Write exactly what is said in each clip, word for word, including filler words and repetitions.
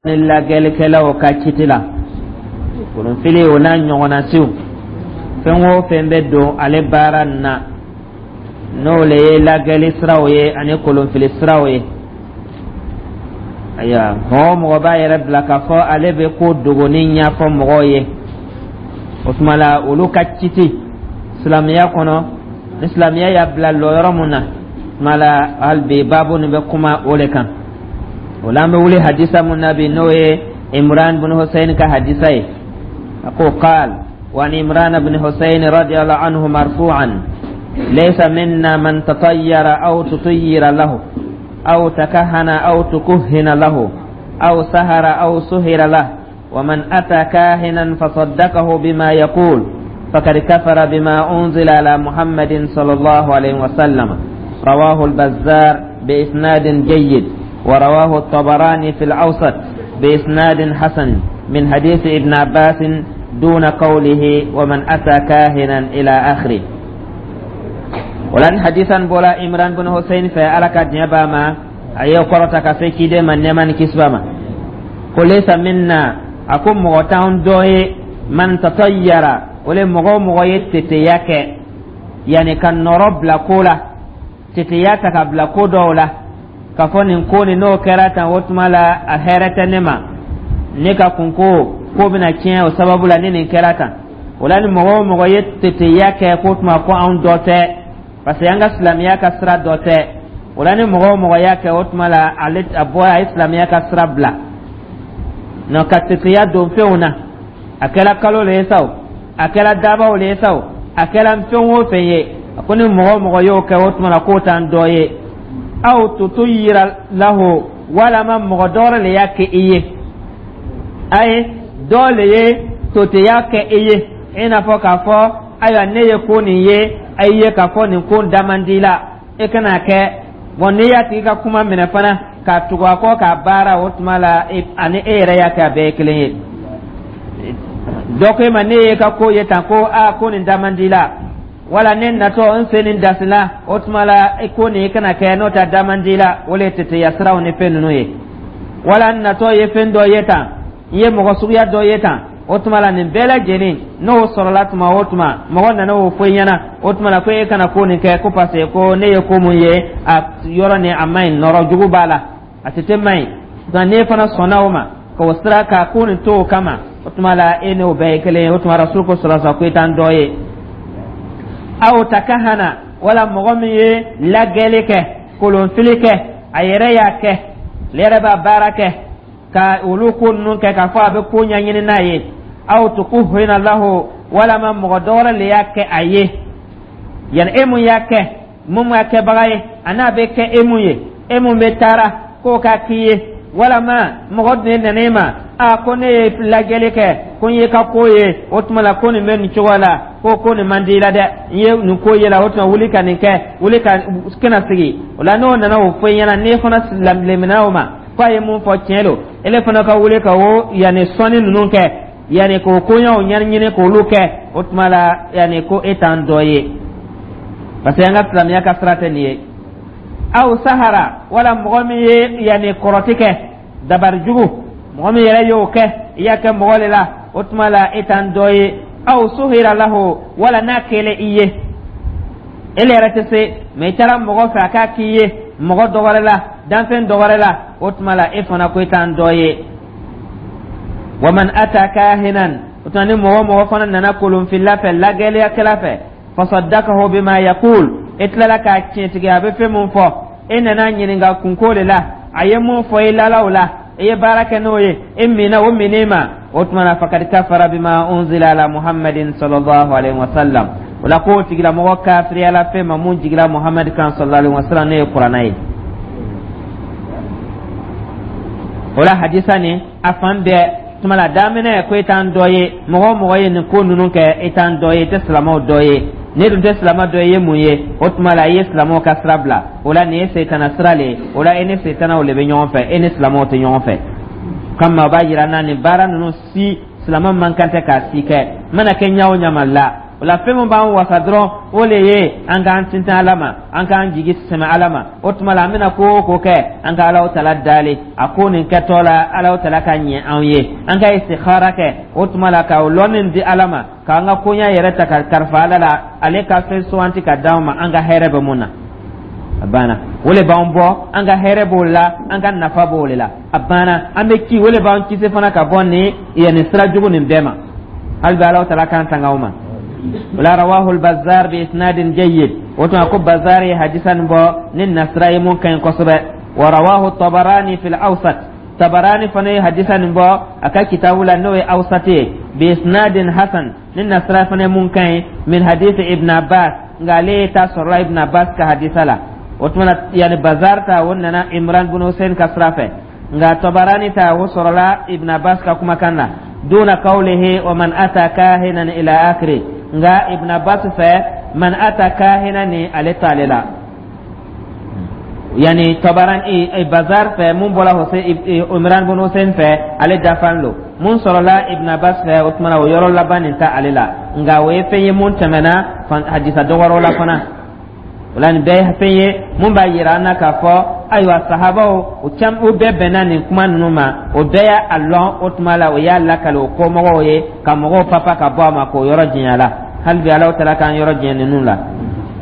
Ni lagɛlikɛlaw ka kiti la, kolonfili o n'a ɲɔgɔnna siw, fɛn o fɛn bɛ don ale baara nin na, n'o le ye lagɛli siraw ye ani kolonfili siraw ye. Ayiwa, mɔgɔ o mɔgɔ b'a yɛrɛ bila k'a fɔ ale bɛ ko dogoni ɲɛfɔ mɔgɔw ye, o tuma la olu ka kiti silamɛya kɔnɔ, ni silamɛya y'a bila lɔyɔrɔ mun na, tuma la hali bi baabu nin bɛ kuma o de kan. O la an bɛ wuli hadisa mun na bi, n'o ye Imran bin Hussein ka hadisa ye. A ko: قال وعن عمران بن حسين رضي الله عنه مرفوعا: ليس منا من تطير أو تطير له أو تكهن أو تكهن له أو سهر أو سهر له، ومن أتى كاهنا فصدقه بما يقول فقد كفر بما أنزل على محمد صلى الله عليه وسلم. رواه البزار بإسناد جيد، ورواه الطبراني في الأوسط بإسناد حسن من حديث ابن عباس دون قوله ومن أتى كاهنا إلى آخره. Wala hadisan bola Imran bin Hussein fɛ, Ala ka diɲɛ b'a ma, a ye kɔrɔta ka se ciden ma, nɛɛma ni kisi b'a ma, ko: ليس منا, a ko mɔgɔ t'anw dɔ ye, من تطير, o le mɔgɔ o mɔgɔ ye teteya kɛ, yani ka nɔrɔ bila ko la, teteya ta ka bila ko dɔw la, k'a fɔ nin ko nin, n'o kɛra tan, o tuma la a hɛrɛ tɛ ne ma, ne ka kunko ko bɛna tiɲɛ o sababu la ni nin kɛra tan. O la ni mɔgɔ o mɔgɔ ye teteya kɛ, k'o tuma ko anw dɔ tɛ, parce que an ka silamɛya ka sira dɔ tɛ. O la ni mɔgɔ o mɔgɔ y'a kɛ, o tuma la ale a bɔ a ye silamɛya ka sira bila nɔ, ka teteya don fɛnw na. A kɛra kalo le ye sa o, a kɛra dabaw le ye sa o, a kɛra fɛn o fɛn ye, a ko ni mɔgɔ o mɔgɔ y'o kɛ, o tuma la k'o t'an dɔ ye. أو تطير له, walama mɔgɔ dɔ le y'a kɛ i ye, a ye dɔ le ye toteya kɛ i ye, i n'a fɔ k'a fɔ: ayiwa, ne ye ko nin ye, a ye k'a fɔ nin ko da man di la, e kana kɛ. Bɔn, n'i y'a tigi ka kuma minɛ fana k'a tugu a kɔ k'a baara, o tuma la ani e yɛrɛ y'a kɛ, a bɛɛ ye kelen ye. Dɔ ko e ma: ne ye ka ko ye tan, ko aa, ko nin da man di la, wala ne natɔ n sen nin dasila, o tuma la i ko nin i kana kɛ, n'o tɛ da man di la. O le ye teteya siraw ni fɛn ninnu ye. Wala n natɔ ye fɛn dɔ ye tan, n ye mɔgɔ suguya dɔ ye tan, o tuma la nin bɛɛ lajɛlen n'o sɔrɔla tuma o tuma, mɔgɔ nana o fɔ i ɲɛna, o tuma la ko e kana ko nin kɛ, ko parce que ko ne ye ko mun ye, a yɔrɔ nin a man ɲi, nɔrɔ jugu b'a la, a tɛ man ɲi. Nka n'e fana sɔnna o ma k'o sira ka ko nin to o kama, o tuma la e n'o bɛɛ ye kelen ye. O tuma Rasul ko sɔrɔ ko i t'an dɔ ye. أو تكهن, wala mɔgɔ min ye lagɛli kɛ, kolonfili kɛ, a yɛrɛ y'a kɛ, ale yɛrɛ b'a baara kɛ ka olu ko ninnu kɛ, k'a fɔ a bɛ ko ɲɛɲini n'a ye. أو تكهن له, walama mɔgɔ dɔ wɛrɛ le y'a kɛ a ye, yani e mun y'a kɛ, mun y'a kɛbaga ye, a n'a bɛ kɛ e mun ye, e mun bɛ taara k'o ka k'i ye, walama mɔgɔ de nana e ma: a ko ne ye lajɛli kɛ, ko n ye ka ko ye, o tuma la ko nin bɛ nin cogo la, ko ko nin man di i la dɛ, n ye nin ko ye la, o tuma wuli ka nin kɛ, wuli ka kana sigi. O la n'o nana o fɔ i ɲɛna, n'e fana lemina o ma ko a ye mun fɔ tiɲɛ don, ele fana ka wuli ka o yanni sɔnni ninnu kɛ, yanni k'o koɲɛw ɲɛɲini k'olu kɛ, o tuma la yanni ko e t'an dɔ ye, parce que an ka silamɛya ka sira tɛ nin ye. أو سهر, wala mɔgɔ min ye yanni kɔrɔti kɛ, dabari jugu, mɔgɔ min yɛrɛ y'o kɛ, i y'a kɛ mɔgɔ de la, o tuma la e t'an dɔ ye. أو سهر له, wala n'a kɛlen i ye, e yɛrɛ tɛ se mɛ, i taara mɔgɔ fɛ a k'a k'i ye, mɔgɔ dɔ wɛrɛ la, danfɛn dɔ wɛrɛ la, o tuma la e fana ko i t'an dɔ ye. ومن أتى كاهنا, o tuma ni mɔgɔ mɔgɔ fana nana kolonfila fɛ, lagɛliyakɛla fɛ, فصدقه بما يقول, e tilala k'a tiɲɛtigi a bɛ fɛn mun fɔ, e nana ɲininka kunko de la, a ye mun fɔ i lala o la, i ye baara kɛ n'o ye, e minna o minɛ ma, o tuma na فقد كفر بما أنزل على محمد صلى الله عليه وسلم. O la k'o tigilamɔgɔ kafiriyala fɛn ma mun jigila Muhamad kan صلى الله عليه وسلم, n'o ye Kuranɛ ye. O la hadisa nin a fan bɛɛ tuma la daminɛ ko e t'an dɔ ye, mɔgɔ o mɔgɔ ye nin ko ninnu kɛ, e t'an dɔ ye, i tɛ silamɛw dɔ ye. Ne dun tɛ silamɛ dɔ ye mun ye? O tuma la i ye silamɛw ka sira bila. O la nin ye setana sira le ye. O la e ni setanaw le bɛ ɲɔgɔn fɛ, e ni silamɛw tɛ ɲɔgɔn fɛ. Kama o b'a yira na nin baara ninnu si, silamɛ man kan tɛ k'a si kɛ, mana kɛ ɲa o ɲa ma la. O la, fɛn min b'an wasa dɔrɔn, o le ye an k'an tintin Ala ma, an k'an jigi sɛmɛ Ala ma. O tuma la, an bɛna ko o ko kɛ, an ka Alaw Tala dali a ko nin kɛtɔ la, Alaw Tala ka ɲɛ anw ye. An ka istikhara kɛ. O tuma la, ka o lɔnni di Ala ma, k'an ka koɲa yɛrɛ ta ka kalifa Ala la, ale ka fɛn suganti ka d'anw ma, an ka hɛrɛ bɛ mun na. A banna. O le b'an bɔ, an ka hɛrɛ b'o la, an ka nafa b'o le la. A banna. An bɛ ki o le b'an kisi fana ka bɔ nin yanni sira jugu nin bɛɛ ma. Hali bi Alaw Tala k'an tanga o ma. Wala rawahu al-Bazzar bi isnadin jayyid. O tuma ko Bazzar ye hadisa nin bɔ ni nasira ye mun ka ɲi kosɛbɛ. Wa rawahu Tabarani fil Awsat. Tabarani fana ye hadisa nin bɔ a ka kitabu la, n'o ye Awsat ye, bi isnadin hasan, ni nasira fana ye mun ka ɲi, min hadisi Ibn Abbas. Nka ale ta sɔrɔla Ibn Abbas ka hadisa la. O tuma, yani Bazar ta, o nana Imran bin Hussein ka sira fɛ, nka Tabarani ta, o sɔrɔla Ibn Abbas ka kumakan na, duna qawlihi wa man ata kahinan ila akhiri. Nka Ibn Abbas fɛ, man ata kahinan ni ale t'ale la. Yani Tabarani, Bazar fɛ, mun bɔra Hussein, Imran bin Hussein fɛ, ale dafan lo. Mun sɔrɔla Ibn Abbas fɛ, o tuma o yɔrɔ laban nin ta ale la. Nka o ye fɛn ye mun tɛmɛna hadisa dɔgɔrɔ la fana. O la, nin bɛɛ ye fɛn ye mun b'a yira an na k'a fɔ ayiwa, sahabaw o cam, o bɛɛ bɛnna nin kuma ninnu ma, o bɛɛ y'a lɔn. O tuma la, o y'a lakale o kɔmɔgɔw ye ka mɔgɔw papa ka bɔ a ma k'o yɔrɔ janya la. Hali bi Alaw Taala k'an yɔrɔ janya ninnu la.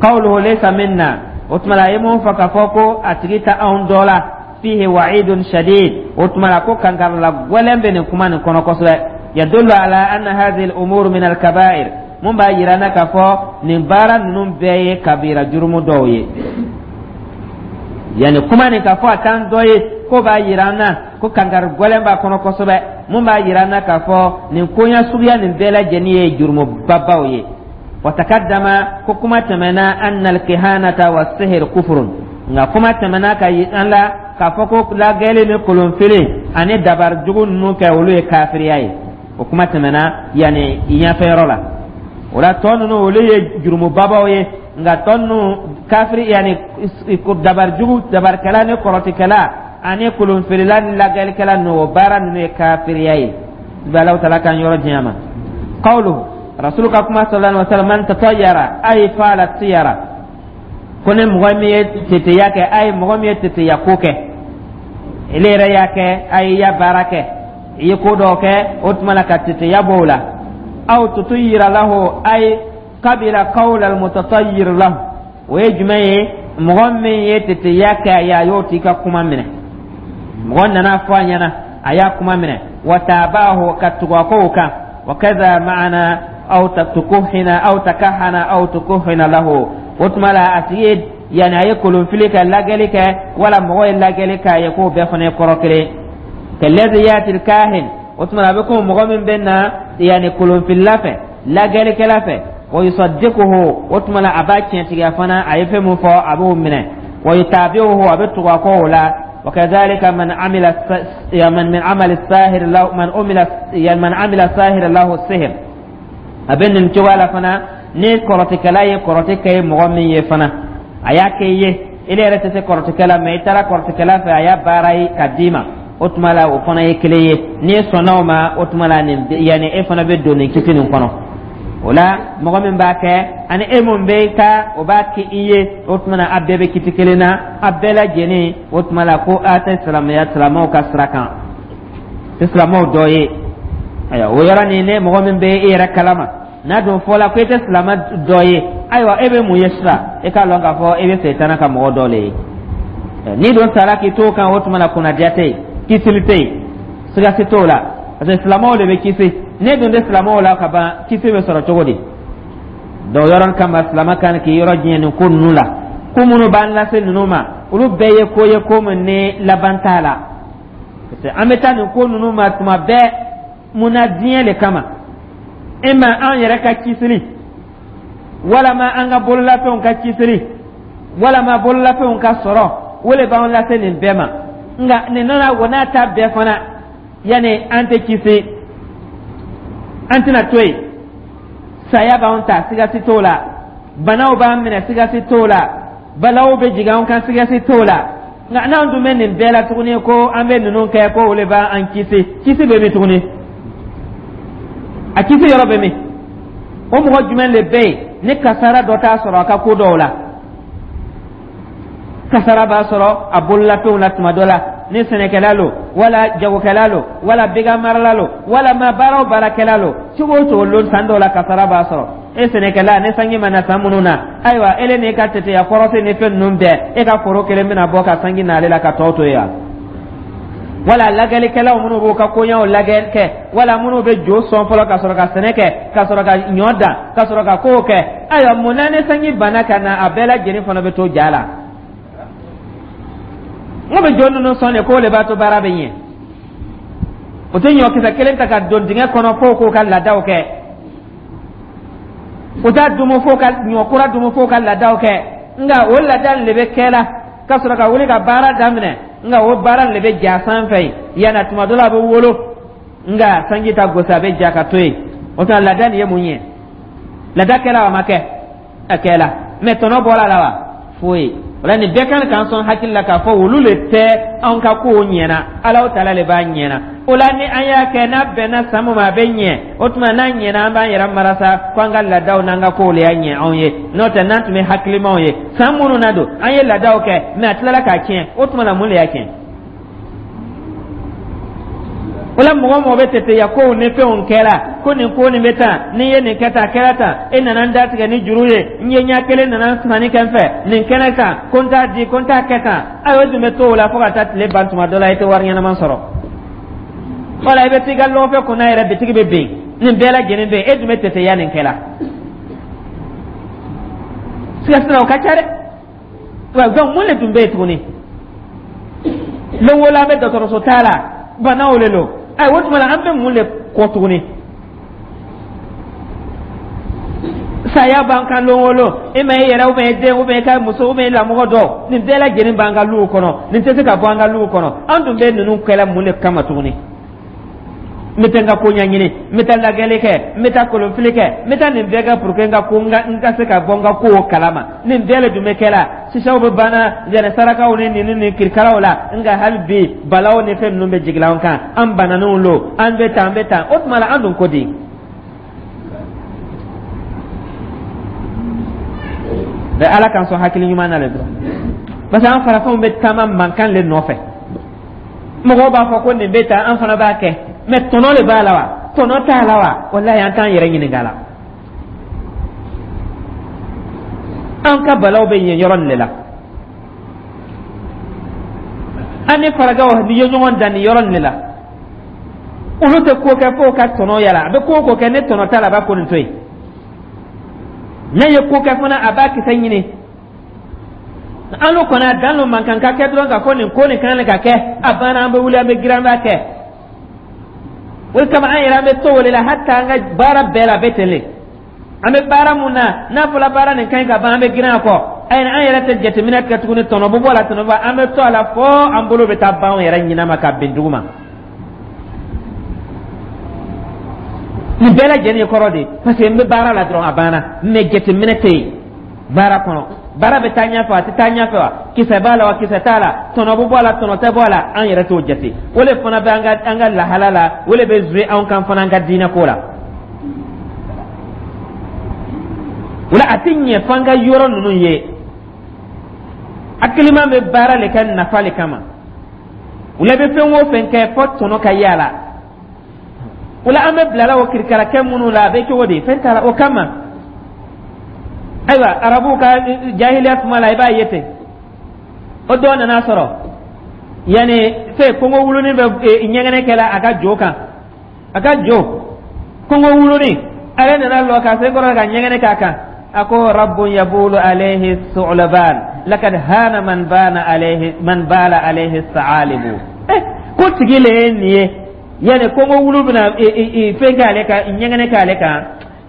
Qawluhu laysa minna, o tuma la, a ye mun fɔ k'a fɔ ko a tigi ta anw dɔ la, fihi wa'idun shadid. O tuma la, ko kankarila gwɛlɛn bɛ nin kuma nin kɔnɔ kosɛbɛ. Yadullu ala anna hadhihi al-umur min al-kaba'ir, mun b'a yira na k'a fɔ nin baara ninnu bɛɛ ye kabira jurumu dɔw ye. Yani kuma nin k'a fɔ a t'an dɔ ye, ko b'a yira an na ko kankari gwɛlɛn b'a kɔnɔ kosɛbɛ, mun b'a yira an na k'a fɔ nin koɲa suguya nin bɛɛ lajɛlen ye jurumubabaw ye. Wa takaddama, ko kuma tɛmɛna, anna alkihanata wa sihir kufurun. Nka kuma tɛmɛna ka an la k'a fɔ ko lagɛli ni kolonfili ani dabari jugu ninnu kɛ, olu ye kafiriya ye. O kuma tɛmɛna yanni ɲɛfɛ yɔrɔ la. O la, tɔ ninnu, olu ye jurumubabaw ye, nka tɔ ninnu kafiri, yanni dabari jugu, dabarikɛla ni kɔrɔtikɛla ani kolonfilila ni lagɛlikɛla ninnu, o baara ninnu ye kafiriya ye. Bi Alahu Taala k'an yɔrɔ janya ma. Qawluhu, Rasulu ka kuma, sallallahu alaihi wa sallam, man tatayyara ay fa'ala tiyara, ko ni mɔgɔ min ye teteya kɛ, ay mɔgɔ min ye teteya ko kɛ, ele yɛrɛ y'a kɛ, a y'i ya baara kɛ, i ye ko dɔ kɛ, o tuma la ka teteya bɔ o la. Aw tutuyira lahu ay qabila qawla almutatayyir lahu. O ye jumɛn ye? Mɔgɔ min ye teteya kɛ a ye, a y'o t'i ka kuma minɛ. Mɔgɔ nana fɔ a ɲɛna, a y'a kuma minɛ, wa tabahu, ka tugu a kow kan. Wa kaza ma'ana aw tukuhina aw takahana aw tukuhina lahu. O tuma la, a tigi ye, yanni a ye kolonfili kɛ, lagɛli kɛ, wala mɔgɔ ye lagɛli k'a ye, k'o bɛɛ fana ye kɔrɔ kelen. Kalladhi yati kahin, o tuma a bɛ komi mɔgɔ min bɛ na yanni kolonfilila fɛ, lagɛlikɛla fɛ, wa yusaddiquhu, o tuma la a b'a tiɲɛtigiya fana, a ye fɛn min fɔ, a b'o minɛ, wa yutabi'uhu, a bɛ tugu a kɔ o la. وكذلك من عمل من من عمل الساهر له من عمل من عمل الساهر له السحر. A bɛ nin cogoya la fana, ni kɔrɔtikɛla ye kɔrɔti kɛ ye mɔgɔ min ye fana, a y'a kɛ i ye, i yɛrɛ tɛ se kɔrɔtikɛla mɛ, i taara kɔrɔtikɛla fɛ, a y'a baara ye ka d'i ma, o tuma la o fana ye kelen ye. N'i sɔnna o ma, o tuma la nin yanni e fana bɛ don nin kiti nin kɔnɔ. O la, mɔgɔ min b'a kɛ ani e mun bɛ ka o b'a kɛ i ye, o tuma na a bɛɛ bɛ kiti kelen na, a bɛɛ lajɛlen. O tuma la ko a tɛ silamɛya, silamɛw ka sira kan, tɛ silamɛw dɔ ye. Ayiwa, o yɔrɔ nin, ne mɔgɔ min bɛ e yɛrɛ kalama n'a dun fɔla ko e tɛ silamɛ dɔ ye, ayiwa, e bɛ mun ye sisan? E k'a lɔn k'a fɔ e bɛ Sɛtana ka mɔgɔ dɔ le ye. N'i dun sara k'i t'o kan, o tuma na kunnadiya tɛ yen, kisili tɛ yen, sigasi t'o la, parce que silamɛw de bɛ kisi. Ne dun tɛ silamɛw la ka ban, kisi bɛ sɔrɔ cogo di? Donc yɔrɔ kama, silamɛ kan k'i yɔrɔ diɲɛ nin ko ninnu la. Ko minnu b'an lase ninnu ma, olu bɛɛ ye ko ye ko min ni laban t'a la, parce que an bɛ taa nin ko ninnu ma tuma bɛɛ mun na? Diɲɛ de kama. E ma an yɛrɛ ka kisili, walama an ka bololafɛnw ka kisili, walama bololafɛnw ka sɔrɔ, o de b'an lase nin bɛɛ ma. Nka nin nana o n'a ta bɛɛ fana, yanni an tɛ kisi, an tɛna to yen. Saya b'an ta, sigasi t'o la. Banaw b'an minɛ, sigasi t'o la. Balaw bɛ jigin an kan, sigasi t'o la. Nka n'an dun bɛ nin bɛɛ la tuguni, ko an bɛ ninnu kɛ, ko o de b'an kisi, kisi bɛ min tuguni? A kisi yɔrɔ bɛ min? O mɔgɔ jumɛn le bɛ yen ni kasara dɔ t'a sɔrɔ a ka ko dɔw la? Kasara b'a sɔrɔ a bololafɛnw la tuma dɔ la, ni sɛnɛkɛla lo, wala jagokɛla lo, wala bagan marala lo, wala ma baara o baarakɛla lo, cogo o cogo lon san dɔw la kasara b'a sɔrɔ. E sɛnɛkɛla, ni sanji ma na san minnu na, ayiwa, ele n'i ka teteya kɔrɔsi ni fɛn ninnu bɛɛ, e ka foro kelen bɛna bɔ ka sanji n'ale la ka tɔw to yen wa? Wala lagɛlikɛlaw minnu b'u ka koɲɛw lagɛ kɛ, wala minnu bɛ jo sɔn fɔlɔ ka sɔrɔ ka sɛnɛ kɛ, ka sɔrɔ ka ɲɔ dan, ka sɔrɔ ka kow kɛ, ayiwa, mun na ni sanji banna ka na, a bɛɛ lajɛlen fana bɛ to ja la? N ko bɛ jo ninnu sɔn de k'o de b'a to baara bɛ ɲɛ. O tɛ ɲɔkisɛ kelen ta ka don dingɛ kɔnɔ f'o k'o ka laadaw kɛ. O t'a dumu f'o ka ɲɔ kura dumu f'o ka laadaw kɛ. Nka o laada de bɛ kɛ la ka sɔrɔ ka wuli ka baara daminɛ, nka o baara de bɛ ja sanfɛ yen yanni tuma dɔ la a bɛ wolo, nka sanji ta gosi, a bɛ ja ka to yen. O tuma, laada nin ye mun ye? Laada kɛla wa ma kɛ? A kɛla, mɛ tɔnɔ bɔra a la wa? Foyi. O la, nin bɛɛ kan k'an sɔn hakili la k'a fɔ olu le tɛ anw ka kow ɲɛna, Alahu taala le b'a ɲɛna. O la, ni an y'a kɛ n'a bɛnna san min ma, a bɛ ɲɛ. O tuma, n'a ɲɛna, an b'an yɛrɛ marasa ko an ka laadaw n'an ka kow le y'a ɲɛ anw ye. N'o tɛ, n'an tun bɛ hakilimaw ye, san minnu na don an ye laadaw kɛ, mɛ a tilala k'a tiɲɛ, o tuma na, mun de y'a tiɲɛ? O la, mɔgɔ mɔgɔ bɛ teteya kow ni fɛnw kɛra ko nin ko nin bɛ tan, n'i ye nin kɛ tan, a kɛra tan, e nana n datigɛ ni juru ye, n ye ɲɛ kelen nana sanni kɛ n fɛ nin kɛnɛ kan, ko n t'a di, ko n t'a kɛ tan. Ayiwa, o dun bɛ to o la fo ka taa tile ban. Tuma dɔ la, i tɛ wari ɲɛnama sɔrɔ, wala i bɛ t'i ka lɔgɔfɛ kunna yɛrɛ, bitigi bɛ bin. Nin bɛɛ lajɛlen bɛ yen, e dun bɛ teteya nin kɛ la. Siga o ka ca dɛ. Wa donc, mun de tun bɛ yen tuguni? Lon o la, an bɛ dɔgɔtɔrɔso t'a la, banaw de don. Ayiwa, o tuma la, an bɛ mun de kɔ tuguni? Saya b'an kan lon o lon. E ma e yɛrɛ, ou bien e den, ou bien e ka muso, ou bien e lamɔgɔ dɔ, nin bɛɛ lajɛlen b'an ka luw kɔnɔ. Nin tɛ se ka bɔ an ka luw kɔnɔ. An dun bɛ ninnu kɛlɛ mun de kama tuguni? N bɛ taa n ka ko ɲɛɲini, n bɛ taa lajɛli kɛ, n bɛ taa kolonfili kɛ, n bɛ taa nin bɛɛ kɛ pour que n ka ko n ka n ka se ka bɔ n ka kow kalama. Nin bɛɛ de dun bɛ kɛ la. Sisaw bɛ banna yɛrɛ sarakaw ni nin ni kirikaraw la, nka hali bi balaw ni fɛn ninnu bɛ jigin an kan, an bananiw lo, an bɛ tan, an bɛ tan. O tuma la, an dun ko di? Bɛ Ala k'an sɔn hakili ɲuman na le dɔrɔn, parce que an farafinw bɛ taama mankan le nɔfɛ. Mɔgɔw b'a fɔ ko nin bɛ tan, an fana b'a kɛ, mɛ tɔnɔ de b'a la wa, tɔnɔ t'a la wa? Walayi, an t'an yɛrɛ ɲininka la. An ka balaw bɛ yen yɔrɔ nin de la. An ni farajɛw ni ye ɲɔgɔn dan nin yɔrɔ nin de la. Olu tɛ ko kɛ f'o ka tɔnɔ yala. A bɛ ko o ko kɛ, ni tɔnɔ t'a la, a b'a ko nin to yen. N'a ye ko kɛ fana, a b'a kisɛ ɲini. An n'o kɔni, a dan lo mankan ka kɛ dɔrɔn k'a fɔ nin ko nin kan ka kɛ, a banna, an bɛ wuli, an bɛ girin, an b'a kɛ. O de kama, an yɛrɛ, an bɛ to o de la. Hata an ka baara bɛɛ la, a bɛ ten le. An bɛ baara mun na, n'a fɔra baara nin ka ɲi ka ban, an bɛ girin a kɔ. Ayi, an yɛrɛ tɛ jateminɛ kɛ tuguni, tɔnɔ bɛ bɔ a la, tɔnɔ bɔ, an bɛ to a la fo an bolo bɛ taa ban anw yɛrɛ ɲinɛ ma ka bin dugu ma. Nin bɛɛ lajɛlen ye kɔrɔ de, parce que n bɛ baara la dɔrɔn, a banna, mɛ jateminɛ tɛ yen baara kɔnɔ. Baara bɛ taa ɲɛfɛ wa, a tɛ taa ɲɛfɛ wa? Kisɛ b'a la wa, kisɛ t'a la? Tɔnɔ bɛ bɔ a la, tɔnɔ tɛ bɔ a la? An yɛrɛ t'o jate. O de fana bɛ an ka an ka lahala la, o de bɛ jouer anw kan fana an ka diinɛ ko la. O la, a tɛ ɲɛ f'an ka yɔrɔ ninnu ye. Hakilima bɛ baara le kɛ nafa le kama. O la, i bɛ fɛn o fɛn kɛ, fɔ tɔnɔ ka y'a la. O la, an bɛ bilala o kirikarakɛ minnu la, a bɛ cogo di? Fɛn t'a la o kama. Ayiwa, arabuw ka jahiliya tuma la, i b'a ye ten, o dɔw nana sɔrɔ yanni fɛn kongo wulunin bɛ ɲɛgɛnɛ kɛla a ka jo kan. A ka jo kongo wulunin, ale nana lɔ ka se kɔrɔ ka ɲɛgɛnɛ k'a kan. A ko: "Rabbun yabulu alayhi su'laban, lakad hana man bana alayhi man bala alayhi sa'alibu." Eh, ko tigi le ye nin ye, yanni kongo wulu bɛna fɛn kɛ ale kan, ɲɛgɛnɛ kɛ ale kan.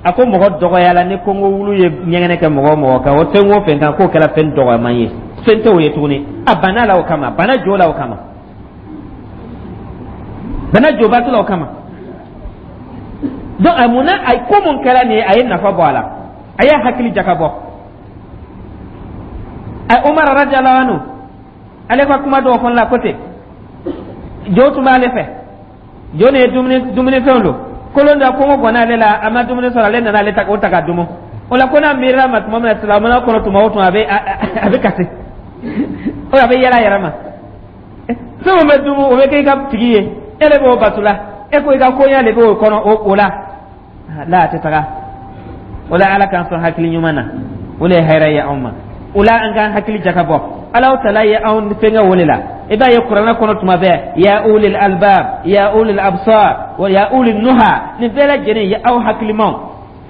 A ko mɔgɔ dɔgɔyala ni kongo wulu ye ɲɛgɛnɛ kɛ mɔgɔ o mɔgɔ kan, o fɛn o fɛn kan, k'o kɛra fɛn dɔgɔyaman ye, fɛn tɛ o ye tuguni. A banna la o kama, bana jo la o kama, bana jobatɔ la o kama. Donc a mun na, a ko mun kɛra nin ye, a ye nafa bɔ a la, a y'a hakili jakabɔ. A Umar radiyallahu anhu, ale ka kuma dɔw fana la, ko ten jo tun b'ale fɛ, jo nin ye dumuni dumunifɛnw don. Kolon dɔ kɔngɔ gwanna ale la, a ma dumuni sɔrɔ, ale nana ale ta o ta ka dumu. O la ko n'a miirila ma tuma min na silamɛya kɔnɔ, tuma o tuma a bɛ a bɛ kasi, o a bɛ yɛlɛ a yɛrɛ ma. Fɛn o bɛ dumu, o bɛ kɛ i ka tigi ye, e de b'o bato la, e ko i ka koɲɛ de b'o kɔnɔ o la la a tɛ taga. O la, Ala k'an sɔn hakili ɲuman na, o de ye hɛrɛ ye anw ma. O la, an k'an hakili jakabɔ. Alaw tala ye anw fɛngɛ o de la. I b'a ye Kuranɛ kɔnɔ tuma bɛɛ: ya ulil albab, ya ulil absar wa ya ulil nuha. Nin bɛɛ lajɛlen ye aw hakilimaw,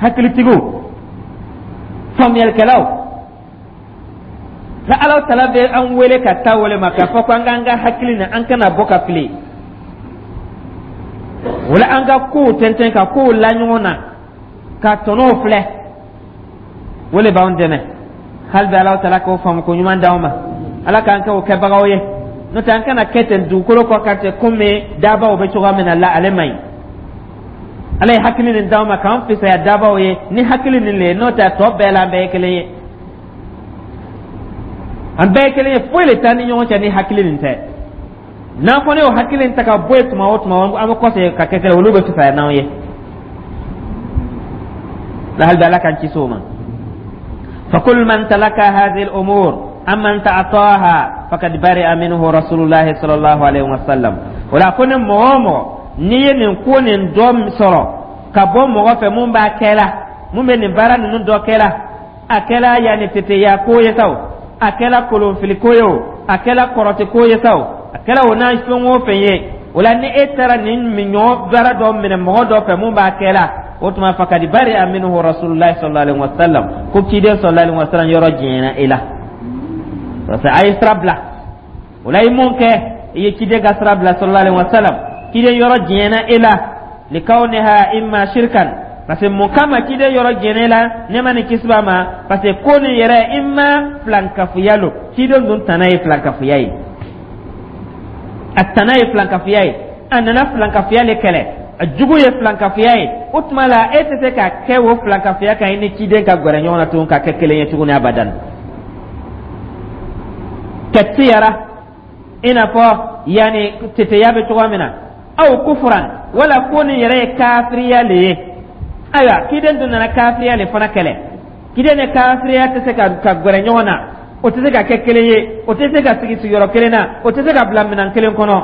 hakilitigiw, faamuyalikɛlaw la. Alaw tala bɛ an wele ka taa wele ma k'a fɔ ko an k'an ka hakili na, an kana bɔ ka fili. O la, an ka kow tɛntɛn, ka kow la ɲɔgɔn na, ka tɔnɔw filɛ, o de b'anw dɛmɛ. Hali bi, Alaw tala k'o faamu ko ɲuman d'anw ma. Ala k'an kɛ o kɛbagaw ye. N'o tɛ, an kana kɛ ten dugukolo kɔ kan ten, komi dabaw bɛ cogoya min na la, ale man ɲi. Ala ye hakili nin d'anw ma k'an fisaya dabaw ye ni hakili nin le ye. N'o tɛ, a tɔ bɛɛ la, an bɛɛ ye kelen ye, an bɛɛ ye kelen ye. Foyi le t'an ni ɲɔgɔn cɛ ni hakili nin tɛ. N'an fana y'o hakili nin ta ka bɔ yen, tuma o tuma an bɛ kɔsegin ka kɛ kelen, olu bɛ fisaya n'anw ye la. Hali bi, Ala k'an kisi o ma. فكل من تلك هذه الأمور أم من تعطاها فقد برئ منه رسول الله صلى الله عليه وسلم. Wala ko ni mɔgɔ o mɔgɔ n'i ye nin ko nin dɔ sɔrɔ ka bɔ mɔgɔ fɛ mun b'a kɛ la, mun bɛ nin baara ninnu dɔ kɛ la, a kɛla yanni teteya ko ye sa o, a kɛla kolonfili ko ye o, a kɛla kɔrɔti ko ye sa o, a kɛla o n'a fɛn o fɛn ye, o la ni e taara nin ɲɔgɔn baara dɔ minɛ mɔgɔ dɔ fɛ mun b'a kɛ la, o tuma فقد برئ منه رسول الله صلى الله عليه وسلم. Ko ciden صلى الله عليه وسلم yɔrɔ jɛɲɛna e la, parce que a ye sira bila. O la, i mun kɛ? I ye ciden ka sira bila صلى الله عليه وسلم. Ciden yɔrɔ jɛɲɛna e la. لكونها إما شركا. Parce que mun kama ciden yɔrɔ jɛɲɛna e la, nɛɛma ni kisi b'a ma? Parce que ko nin yɛrɛ imma filankafoya lo. Ciden dun tana ye filankafoya ye, a tana ye filankafoya ye, a nana filankafoya le kɛlɛ, a jugu ye filankafoya ye. O tuma la, e tɛ se ka kɛ o filankafoya kan, i ni ciden ka gɛrɛ ɲɔgɔn na tuguni ka kɛ kelen ye tuguni abadan. كالطيرة, i n'a fɔ yanni teteya bɛ cogoya min na, أو كفرا, wala ko nin yɛrɛ ye kafiriya le ye. Ayiwa, ciden dun nana kafiriya le fana kɛlɛ. Ciden ni kafiriya tɛ se ka ka gɛrɛ ɲɔgɔn na, o tɛ se ka kɛ kelen ye, o tɛ se ka sigi sigiyɔrɔ kelen na, o tɛ se ka bila minɛn kelen kɔnɔ.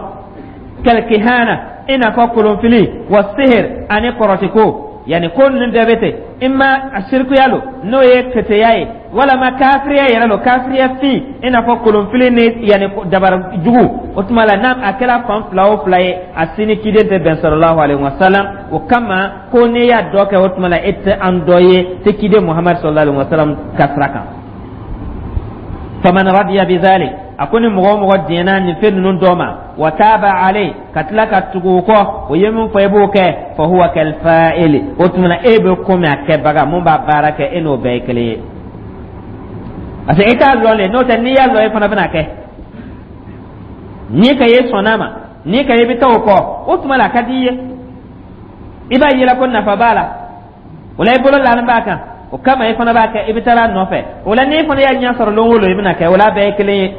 كالكهانة, i n'a fɔ kolonfili, والسحر, ani kɔrɔtiko. Yanni ko ninnu bɛɛ bɛ ten, imma a sirikuya lo, n'o ye keteya ye, walama kafiriya yɛrɛ lo, kafiriya fin, i n'a fɔ kolonfili ni yanni dabara jugu. O tuma la, n'a a kɛra fan fila o fila ye, a si ni ciden tɛ bɛn صلى الله عليه وسلم. O kama ko n'i y'a dɔ kɛ, o tuma la e tɛ an dɔ ye, tɛ ciden Muhamadu صلى الله عليه وسلم ka sira kan. فمن رضي بذلك, a ko ni mɔgɔ o mɔgɔ diɲɛna nin fɛn ninnu dɔ ma, وتاب عليه, ka tila ka tugu o kɔ, o ye min fɔ i b'o kɛ, فهو كالفاعل. O tuma na, e bɛ komi a kɛbaga mun b'a baara kɛ, e n'o bɛɛ ye kelen ye, parce que e t'a lɔn de. N'o tɛ, n'i y'a lɔn, e fana bɛna kɛ. N'i ka ye sɔnna ma, n'i ka ye bɛ taa o kɔ, o tuma la a ka di i ye, i b'a yela ko nafa b'a la, o la i bolo lalen b'a kan, o kama i fana b'a kɛ, i bɛ taa a nɔfɛ. O la, n'i fana y'a ɲɛ sɔrɔ lon o lon, i bɛna kɛ. O la, bɛɛ ye kelen ye.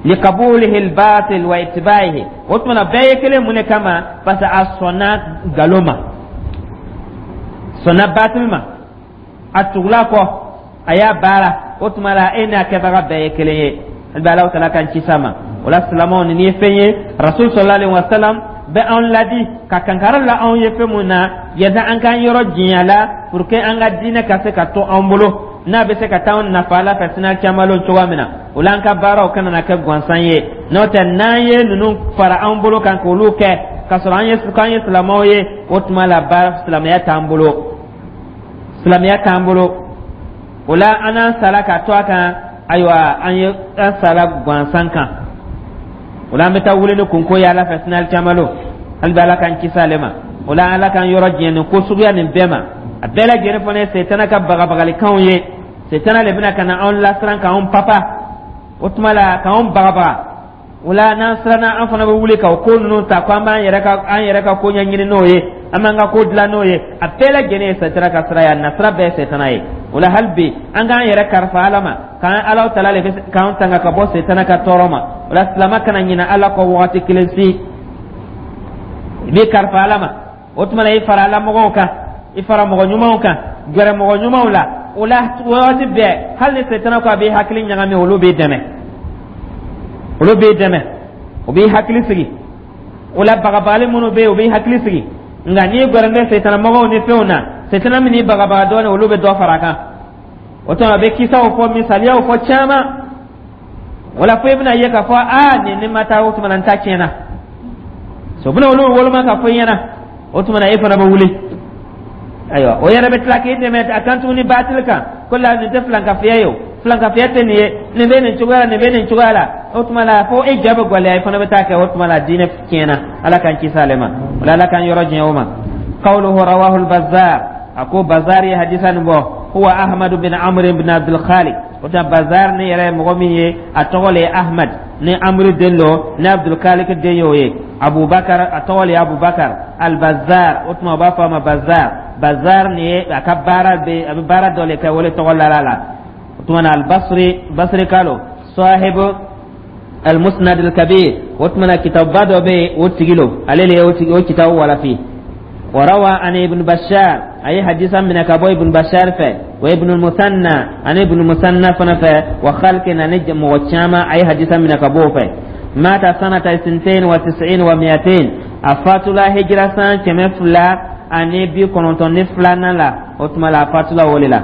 لقبوله الباطل واتباعه. O tuma na, bɛɛ ye kelen. Mun de kama? Parce que a sɔnna nkalon ma, sɔnna batil ma, a tugula kɔ, a y'a baara. O tuma la, e n'a kɛbaga bɛɛ ye kelen ye. Hali bi, Alahu tala k'an kisi a ma. O la, silamɛw, nin ye fɛn ye Rasul صلى الله عليه وسلم bɛ anw ladi ka kankari la anw ye fɛn mun na, yanni an k'an yɔrɔ janya la, pour que an ka diinɛ ka se ka to an bolo, n'a bɛ se ka taa anw nafa Ala fɛ sini caman cogoya min na. O la, an ka baaraw kana na kɛ gansan ye. N'o tɛ, n'an ye ninnu fara an bolo kan k'olu kɛ k'a sɔrɔ an ye k'an ye silamɛw ye, o tuma la baara silamɛya t'an bolo, silamɛya t'an bolo. O la, an n'an sara ka to a kan. Ayiwa, an ye an sara gansan kan. O la, an bɛ taa wuli ni kunko ye Ala fɛ sini caman. Hali bi, Ala k'an kisi ale ma. O la, Ala k'an yɔrɔ jɛn nin ko suguya nin bɛɛ ma. A bɛɛ lajɛlen fana ye setana ka bagabagalikanw ye. Setana de bɛna ka na anw lasiran, k'anw papa, o tuma la k'anw bagabaga. O la, n'an siranna, an fana bɛ wuli ka o ko ninnu ta ko an b'an yɛrɛ ka an yɛrɛ ka ko ɲɛɲini n'o ye, an b'an ka ko dilan n'o ye. A bɛɛ lajɛlen ye setana ka sira ye, a nasira bɛɛ ye setana ye. O la, hali bi, an k'an yɛrɛ kalifa Ala ma, k'an Ala tala de bɛ k'an tanga ka bɔ setana ka tɔɔrɔ ma. O la, silamɛ kana ɲinɛ Ala kɔ wagati kelen si. I b'i kalifa Ala ma. O tuma na, i fara lamɔgɔw kan, i fara mɔgɔ ɲumanw kan, gɛrɛ mɔgɔ ɲumanw la. O la, waati bɛɛ, hali ni setana ko a b'i hakili ɲagami, olu b'i dɛmɛ, olu b'i dɛmɛ, o b'i hakili sigi. O la, bagabagali minnu bɛ yen, o b'i hakili sigi. Nka n'i gɛrɛ bɛ setana mɔgɔw ni fɛnw na, setana min n'i bagabaga dɔɔnin, olu bɛ dɔ fara a kan. O tuma, a bɛ kisaw fɔ, misaliyaw fɔ caman. O la, fo i bɛna ye k'a fɔ aa, nin ni ma taa, o tuma na n ta tiɲɛna. So bɛna olu woloma ka fɔ i ɲɛna. O tuma na, e fana bɛ wuli. Ayiwa, o yɛrɛ bɛ tila k'i dɛmɛ a kan tuguni baatili kan, ko la nin tɛ filankafiya ye, o filankafiya tɛ nin ye, nin bɛ nin cogoya la, nin bɛ nin cogoya la. O tuma la, fo e ja bɛ gɛlɛya, i fana bɛ taa kɛ. O tuma la, diinɛ tiɲɛna. Ala k'an kisi ale ma. O la, Ala k'an yɔrɔ diɲɛ o ma. Qawluhu rawahu al-Bazzar, a ko Bazar ye hadisa nin bɔ. Huwa Ahmad bin Amr bin Abdul Khaliq. O tɛ Bazar ni yɛrɛ ye mɔgɔ min ye, a tɔgɔ le ye Ahmad ni Amr den lo, ni Abdul Khaliq den y'o ye. Abubakar, a tɔgɔ le ye Abubakar al-Bazzar. O tuma, o b'a fɔ a ma Bazar. Bazar nin ye a ka baara bɛ, a bɛ baara dɔ le kɛ, o le tɔgɔ lara la. O tuma na, al-Basri, Basri kalo, sahibu al-Musnad al-Kabir. O tuma na, kitabuba dɔ bɛ yen, o tigi lo, ale le ye o tigi o kitabu walafi. وروى عن ابن بشار، أي حديثا من كابو ابن بشار في وابن المثنى، عن ابن المثنى فنفى وخلق نجم وشاما، أي حديثا من كابو في. مات سنة اثنتين وتسعين ومئتين، أفاتلا هجرة سنة كم فلا أني بي كونتون فلانا لا. أتما لا أفاتلا وللا.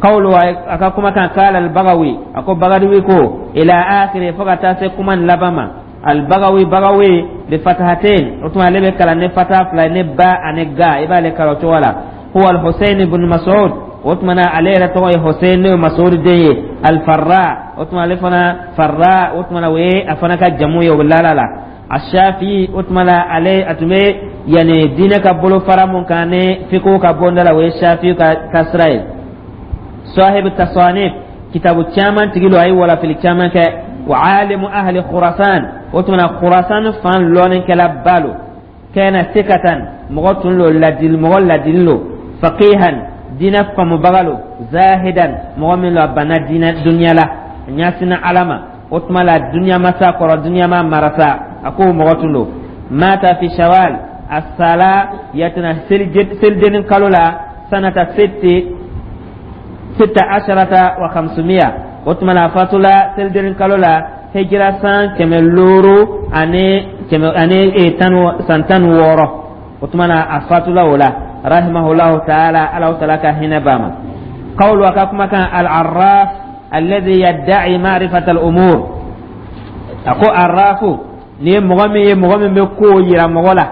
قوله، أكا كما كان، قال البغوي، أكو بغوي كو، إلى آخر، فقط كمان لبما. البغوي، بغوي بفتحتين، o tuma ale bɛ kalan ni fata fila ni ba ani ga, i b'ale kalan o cogo la. هو الحسين بن مسعود. O tuma na, ale yɛrɛ tɔgɔ ye Hussein, n'o ye Mas'ud den ye. Al-Farra, o tuma ale fana Farra, o tuma na, o ye a fana ka jamu ye, o bɛ lala la. Ashafi, o tuma la, ale a tun bɛ yanni diinɛ ka bolo fara mun kan ni fiqh ka bonda la, o ye Shafi ka ka sira ye. صاحب التصانيف، kitabu caman tigi lo, a ye walafili caman kɛ. وعالم أهل خراسان، o tuma na, Khurasan fan lɔnnikɛla ba lo. كان ثقة، mɔgɔ tun lo ladili, mɔgɔ ladili lo. فقيها، diinɛ faamubaga lo. زاهدا، mɔgɔ min lo a banna diinɛ duniya la, a ɲɛsinna Ala ma. O tuma la, duniya masa kɔrɔ, duniya ma marasa, a k'o mɔgɔ tun lo. مات في شوال، a sala yatina selijenin kalo la، سنة ست ستة عشرة وخمسمائة. O tuma la, a fatula selijenin kalo la, hijira san kɛmɛ looro ani kɛmɛ ani tan, san tan ni wɔɔrɔ. O tuma na, a fatula o la. رحمه الله تعالى، Ala taala ka hinɛ b'a ma. قوله، a ka kumakan، العراف الذي يدعي معرفة الأمور. A ko arrafu ni ye mɔgɔ min ye, mɔgɔ min bɛ kow yira mɔgɔ la.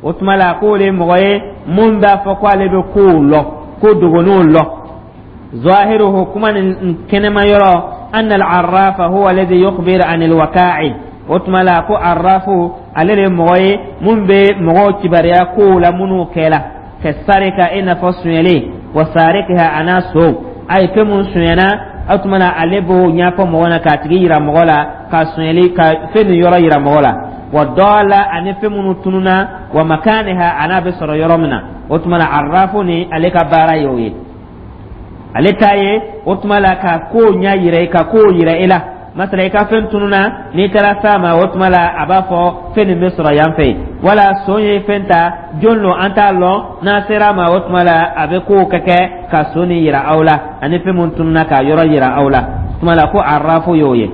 O tuma la, k'o de ye mɔgɔ ye mun b'a fɔ ko ale bɛ kow lɔ, ko dogoninw lɔ. ظاهره، كما كنما يرى، أن العراف هو الذي يخبر عن الوقائع. O tuma la, ko arrafu ale de ye mɔgɔ ye mun bɛ mɔgɔw kibaruya kow la minnu kɛla، كالسرقة، i n'a fɔ sonyɛli، وسارقها، a n'a so a ye fɛn mun sonyɛna. O tuma na, ale b'o ɲɛfɔ mɔgɔ la, k'a tigi yira mɔgɔ la, ka sonyɛli ka fɛn nin yɔrɔ yira mɔgɔ la. والضالة، ani fɛn minnu tununa، ومكانها، a n'a bɛ sɔrɔ yɔrɔ min na. O tuma na, arrafu ni ale ka baara ye o ye. Ale ta ye, o tuma la, ka kow ɲɛ yira i ka kow yira i la. Masala, i ka fɛn tununa, n'i taara s'a ma, o tuma la, a b'a fɔ fɛn nin bɛ sɔrɔ yan fɛ yen, wala son ye fɛn ta, jɔn lo, an t'a lɔn. N'a sera a ma, o tuma la, a bɛ kow kɛ kɛ ka son nin yira aw la, ani fɛn mun tununa, k'a yɔrɔ yira aw la. O tuma la, ko arrafu y'o ye.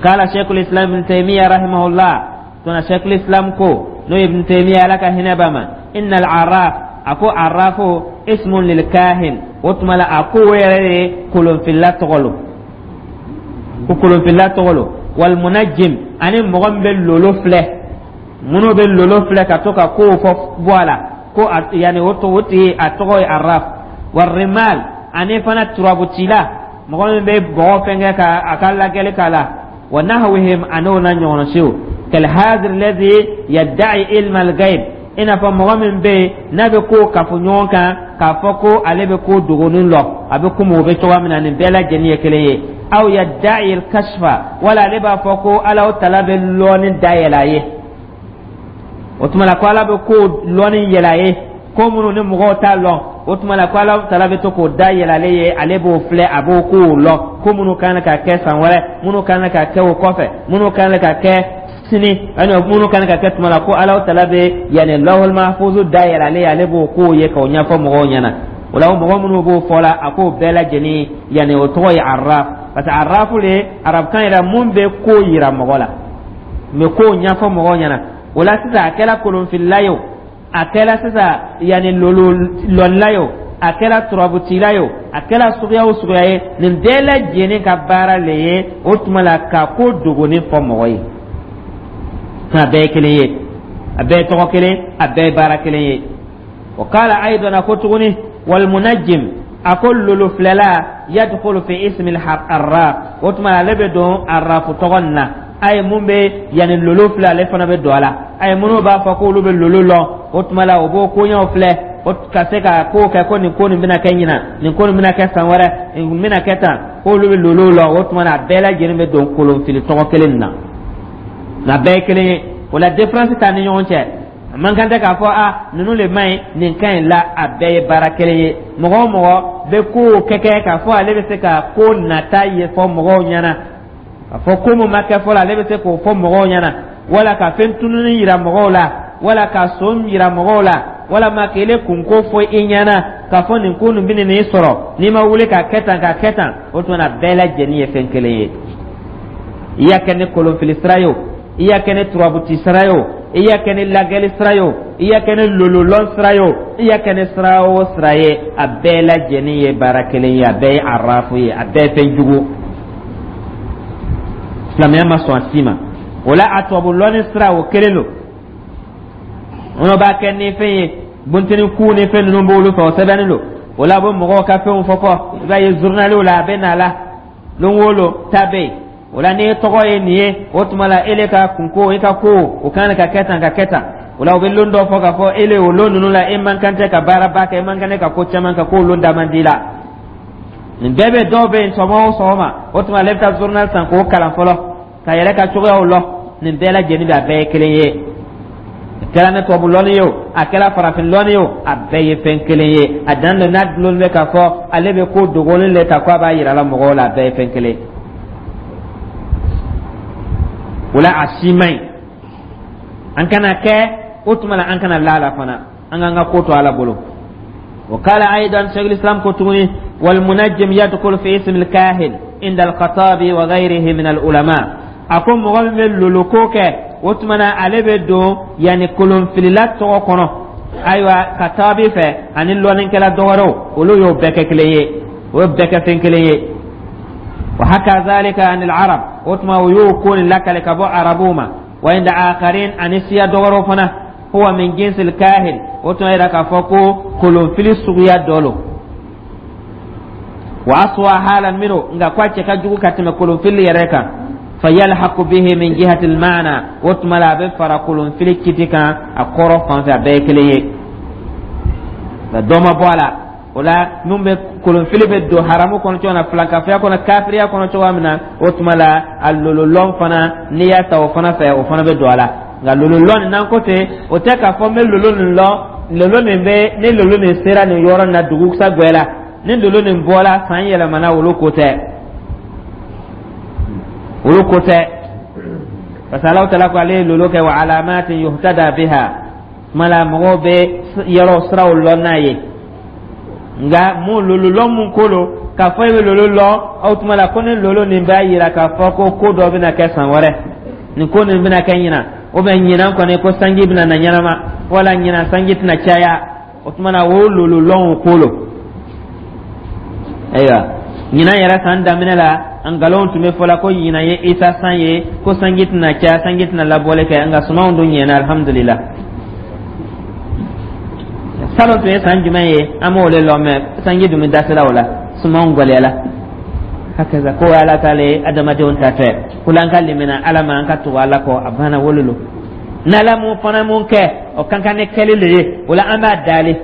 قال شيخ الإسلام ابن تيمية رحمه الله، tuna شيخ الإسلام ko n'o ye Ibn Taymiya, Ala ka hinɛ b'a ma، إن العراف، a ko arrafu، اسم للكاهن. O tuma la, a ko o yɛrɛ ye kolonfilila tɔgɔ lo, ko kolonfilila tɔgɔ lo. والمنجم، ani mɔgɔ min bɛ lolo filɛ, minnu bɛ lolo filɛ ka to ka kow fɔ bɔ a la, ko yanni o o tigi a tɔgɔ ye arraf. والرمال، ani fana turabucila, mɔgɔ min bɛ bɔgɔ fɛnkɛ ka a ka lajɛli k'a la. ونحوهم، an'o na ɲɔgɔnna siw. كالحاذر الذي يدعي علم الغيب، i n'a fɔ mɔgɔ min bɛ yen n'a bɛ ko kafo ɲɔgɔn kan k'a fɔ ko ale bɛ ko dogonin lɔ, a bɛ komi o bɛ cogoya min na, nin bɛɛ lajɛlen ye kelen ye. أو يدعي الكشف، wala ale b'a fɔ ko Ala tala bɛ lɔɔni dayɛlɛ a ye. O tuma la, ko Ala bɛ ko lɔɔni yɛlɛ a ye, ko minnu ni mɔgɔw t'a lɔn. O tuma la, ko Ala tala bɛ to k'o da yɛlɛ ale ye, ale b'o filɛ, a b'o kow lɔn, ko minnu kan ka kɛ san wɛrɛ, minnu kan ka kɛ o kɔfɛ, minnu kan ka kɛ. Sini ani minnu kan ka kɛ tuma la, ko Alahu Taala bɛ yanni lawhul mahfuzu dayɛlɛ ale ye, ale b'o kow ye k'o ɲɛfɔ mɔgɔw ɲɛna. O la, mɔgɔ minnu b'o fɔ la, a k'o bɛɛ lajɛlen, yanni o tɔgɔ ye arraf, parce que arrafu le arabukan yɛrɛ mun bɛ ko yira mɔgɔ la, n bɛ kow ɲɛfɔ mɔgɔw ɲɛna. O la sisan, a kɛra kolonfilila ye o, a kɛra sisan yanni lolo lɔnla ye o, a kɛra turabutila ye o, a kɛra suguya o suguya ye, nin bɛɛ lajɛlen ka baara le ye o tuma la ka ko dogonin fɔ mɔgɔ ye. A bɛɛ ye kelen ye, a bɛɛ ye tɔgɔ kelen, a bɛɛ ye baara kelen ye. Wa qala aidan, a ko tuguni, walmunajjim, a ko lolo filɛla, yadkhulu fi ismi arraf, o tuma ale bɛ don arrafu tɔgɔ nin na. A ye mun bɛ yanni lolo filɛ, ale fana bɛ don a la. A ye minnu b'a fɔ k'olu bɛ lolo lɔn, o tuma la o b'o koɲɛw filɛ, o ka se ka ko kɛ ko nin ko nin bɛna kɛ ɲinan, nin ko nin bɛna kɛ san wɛrɛ, nin bɛna kɛ tan, k'olu bɛ lolo lɔn. O tuma na, a bɛɛ lajɛlen bɛ don kolonfili tɔgɔ kelen nin na, nka bɛɛ ye kelen ye. O la, différence t'an ni ɲɔgɔn cɛ. A man kan tɛ k'a fɔ a ninnu le man ɲi, nin ka ɲi la. A bɛɛ ye baara kelen ye. Mɔgɔ o mɔgɔ bɛ kow kɛ kɛ k'a fɔ ale bɛ se ka ko nata ye fɔ mɔgɔw ɲɛna, k'a fɔ ko mun ma kɛ fɔlɔ, ale bɛ se k'o fɔ mɔgɔw ɲɛna, wala ka fɛn tununi yira mɔgɔw la, wala ka son yira mɔgɔw la, walama k'ele kunko fɔ i ɲɛna k'a fɔ nin ko nin bɛ nin sɔrɔ n'i ma wuli ka kɛ tan, ka kɛ tan, o tuma na bɛɛ lajɛlen ye fɛn kelen ye. I y'a kɛ ni kolonfili sira ye o, i y'a kɛ ni turabuti sira ye o, i y'a kɛ ni lagɛli sira ye o, i y'a kɛ ni lololɔn sira ye o, i y'a kɛ ni sira o sira ye, a bɛɛ lajɛlen ye baara kelen ye, a bɛɛ ye arafu ye, a bɛɛ ye fɛn jugu. Silamɛya ma sɔn a si ma. O la, a tubabu lɔnni sira, o kelen don. Minnu b'a kɛ ni fɛn ye, bunteni ku ni fɛn ninnu b'olu fɛ, o sɛbɛnnen don. O la, a bɛ mɔgɔw ka fɛnw fɔ fɔ, i b'a ye journaliw la, a bɛ na la lon o lon ta bɛ yen. O la, n'i tɔgɔ ye nin ye, o tuma la ele ka kunko, i ka ko o kan ka kɛ tan, ka kɛ tan. O la, u bɛ lon dɔ fɔ k'a fɔ ele o lon ninnu la, e man kan tɛ ka baaraba kɛ, e man kan tɛ ka ko caman kɛ, k'o lon da man di la. Nin bɛɛ bɛ dɔw bɛ yen. Sɔgɔma o sɔgɔma, o tuma ale bɛ taa journal san k'o kalan fɔlɔ ka yɛrɛ ka cogoyaw lɔn. Nin bɛɛ lajɛlen bɛ, a bɛɛ ye kelen ye. A kɛra ne tubabu lɔnni ye o, a kɛra farafin lɔnni ye o, a bɛɛ ye fɛn kelen ye. A dan don n'a dulon bɛ k'a fɔ ale bɛ ko dogolen le ta ko a b'a yira la mɔgɔw la, a bɛɛ ye fɛn kelen ye. O la, a si man ɲi. An kana kɛ o tuma la, an kana la la fana, an k'an ka ko to Ala bolo. وقال أيضا شيخ الإسلام كتوني والمنجم يدخل في اسم الكاهن عند الخطابي وغيره من العلماء. A ko mɔgɔ min bɛ loloko kɛ, o tuma na ale bɛ don yanni kolonfilila tɔgɔ kɔnɔ. Ayiwa, Katabi fɛ ani lɔnnikɛla dɔwɛrɛw, olu y'o bɛɛ kɛ kelen ye, o y'o bɛɛ kɛ fɛn kelen ye. Wa haka zalika anil arab, o tuma o y'o ko nin lakale ka bɔ arabuw ma. Wa inda akharin, ani siya dɔwɛrɛw fana, huwa min jinsil kahin, o tuma yira k'a fɔ ko kolonfili suguya dɔ lo. Wa aswa halan minhu, nka ko a cɛ ka jugu ka tɛmɛ kolonfili yɛrɛ kan. Fayalhaqu bihi min jihati almaana, o tuma la a bɛ fara kolonfili kiti kan a kɔrɔ fan fɛ, a bɛɛ ye kelen ye, nka dɔ ma bɔ a la. O la, min bɛ kolonfili bɛ don haramu kɔnɔ cogo min na, filankafoya kɔnɔ, kafiriya kɔnɔ cogoya min na, o tuma la a lololɔn fana, n'i y'a ta o fana fɛ, o fana bɛ don a la. Nka lololɔn nin, n'an ko ten, o tɛ k'a fɔ n bɛ lolo nin lɔn, lolo nin bɛ ni lolo nin sera nin yɔrɔ nin na, dugusa gwɛla ni lolo nin bɔra, san yɛlɛmana, olu ko tɛ, olu ko tɛ, parce que Alahu Taala ko ale ye lolo kɛ wa alamatin yuhtada biha, tuma la mɔgɔw bɛ yɔrɔ siraw lɔn n'a ye. Nka mun lolo lɔn mun ko lo k'a fɔ e bɛ lolo lɔn, o tuma la ko ni lolo nin b'a yira k'a fɔ ko ko dɔ bɛna kɛ san wɛrɛ, nin ko nin bɛna kɛ ɲinan, ou bien ɲinan kɔni ko sanji bɛna na ɲɛnama, wala ɲinan sanji tɛna caya, o tuma na o lolo lɔn o ko lo. Ayiwa, ɲinan yɛrɛ san daminɛ la, nkalonw tun bɛ fɔla ko ɲinan ye Isa san ye, ko sanji tɛna caya, sanji tɛna labɔli kɛ, nka sumanw dun ɲɛna, alhamdulillah. Salon tun ye san jumɛn ye, an m'o le lɔn, mɛ sanji dun bɛ dasira o la, sumanw gɛlɛyala. Hakaza ko Ala t'ale adamadenw ta tɛ ko la, an ka limina Ala ma, an ka tugu Ala kɔ, a banna wolo lo. N'Ala mun fana mun kɛ, o kan ka ne kɛli le ye. O la, an b'a dali,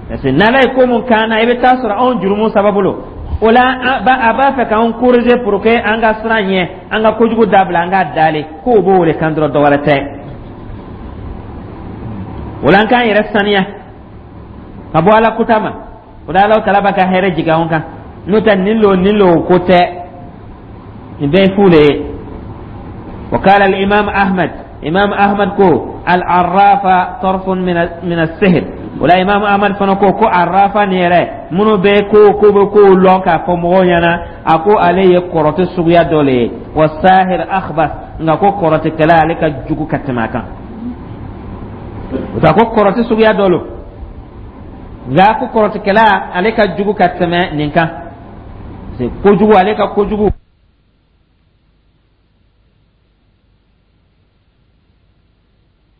parce que n'Ala ye ko mun k'an na, i bɛ taa sɔrɔ anw jurumu sababu lo. O la, a b'a fɛ k'anw corriger pour que an ka siran ɲɛ, an ka kojugu dabila, an k'a dali k'o b'o wele kan dɔrɔn, dɔwɛrɛ tɛ. O la, an k'an yɛrɛ saniya ka bɔ Ala kuta ma. O la, Ala Taala b'a ka hɛrɛ jigin anw kan. N'o tɛ, nin lo nin lo ko tɛ, nin bɛɛ ye fu de ye. Wa qala al-imam Ahmad, Imam Ahmad ko al-arrafa tarfun min min as-sihr. Wala Imam Ahmad fana ko ko arrafa nin yɛrɛ, minnu bɛ ko ko bɛ kow lɔn k'a fɔ mɔgɔw ɲɛna, a ko ale ye kɔrɔtɛ suguya dɔ le ye. Wa sahir akhbas, nka ko kɔrɔtɛkɛla, ale ka jugu ka tɛmɛ a kan. O ta ko kɔrɔtɛ suguya dɔ lo, nka ko kɔrɔtɛkɛla, ale ka jugu ka tɛmɛ nin kan. Kojugu, ale ka kojugu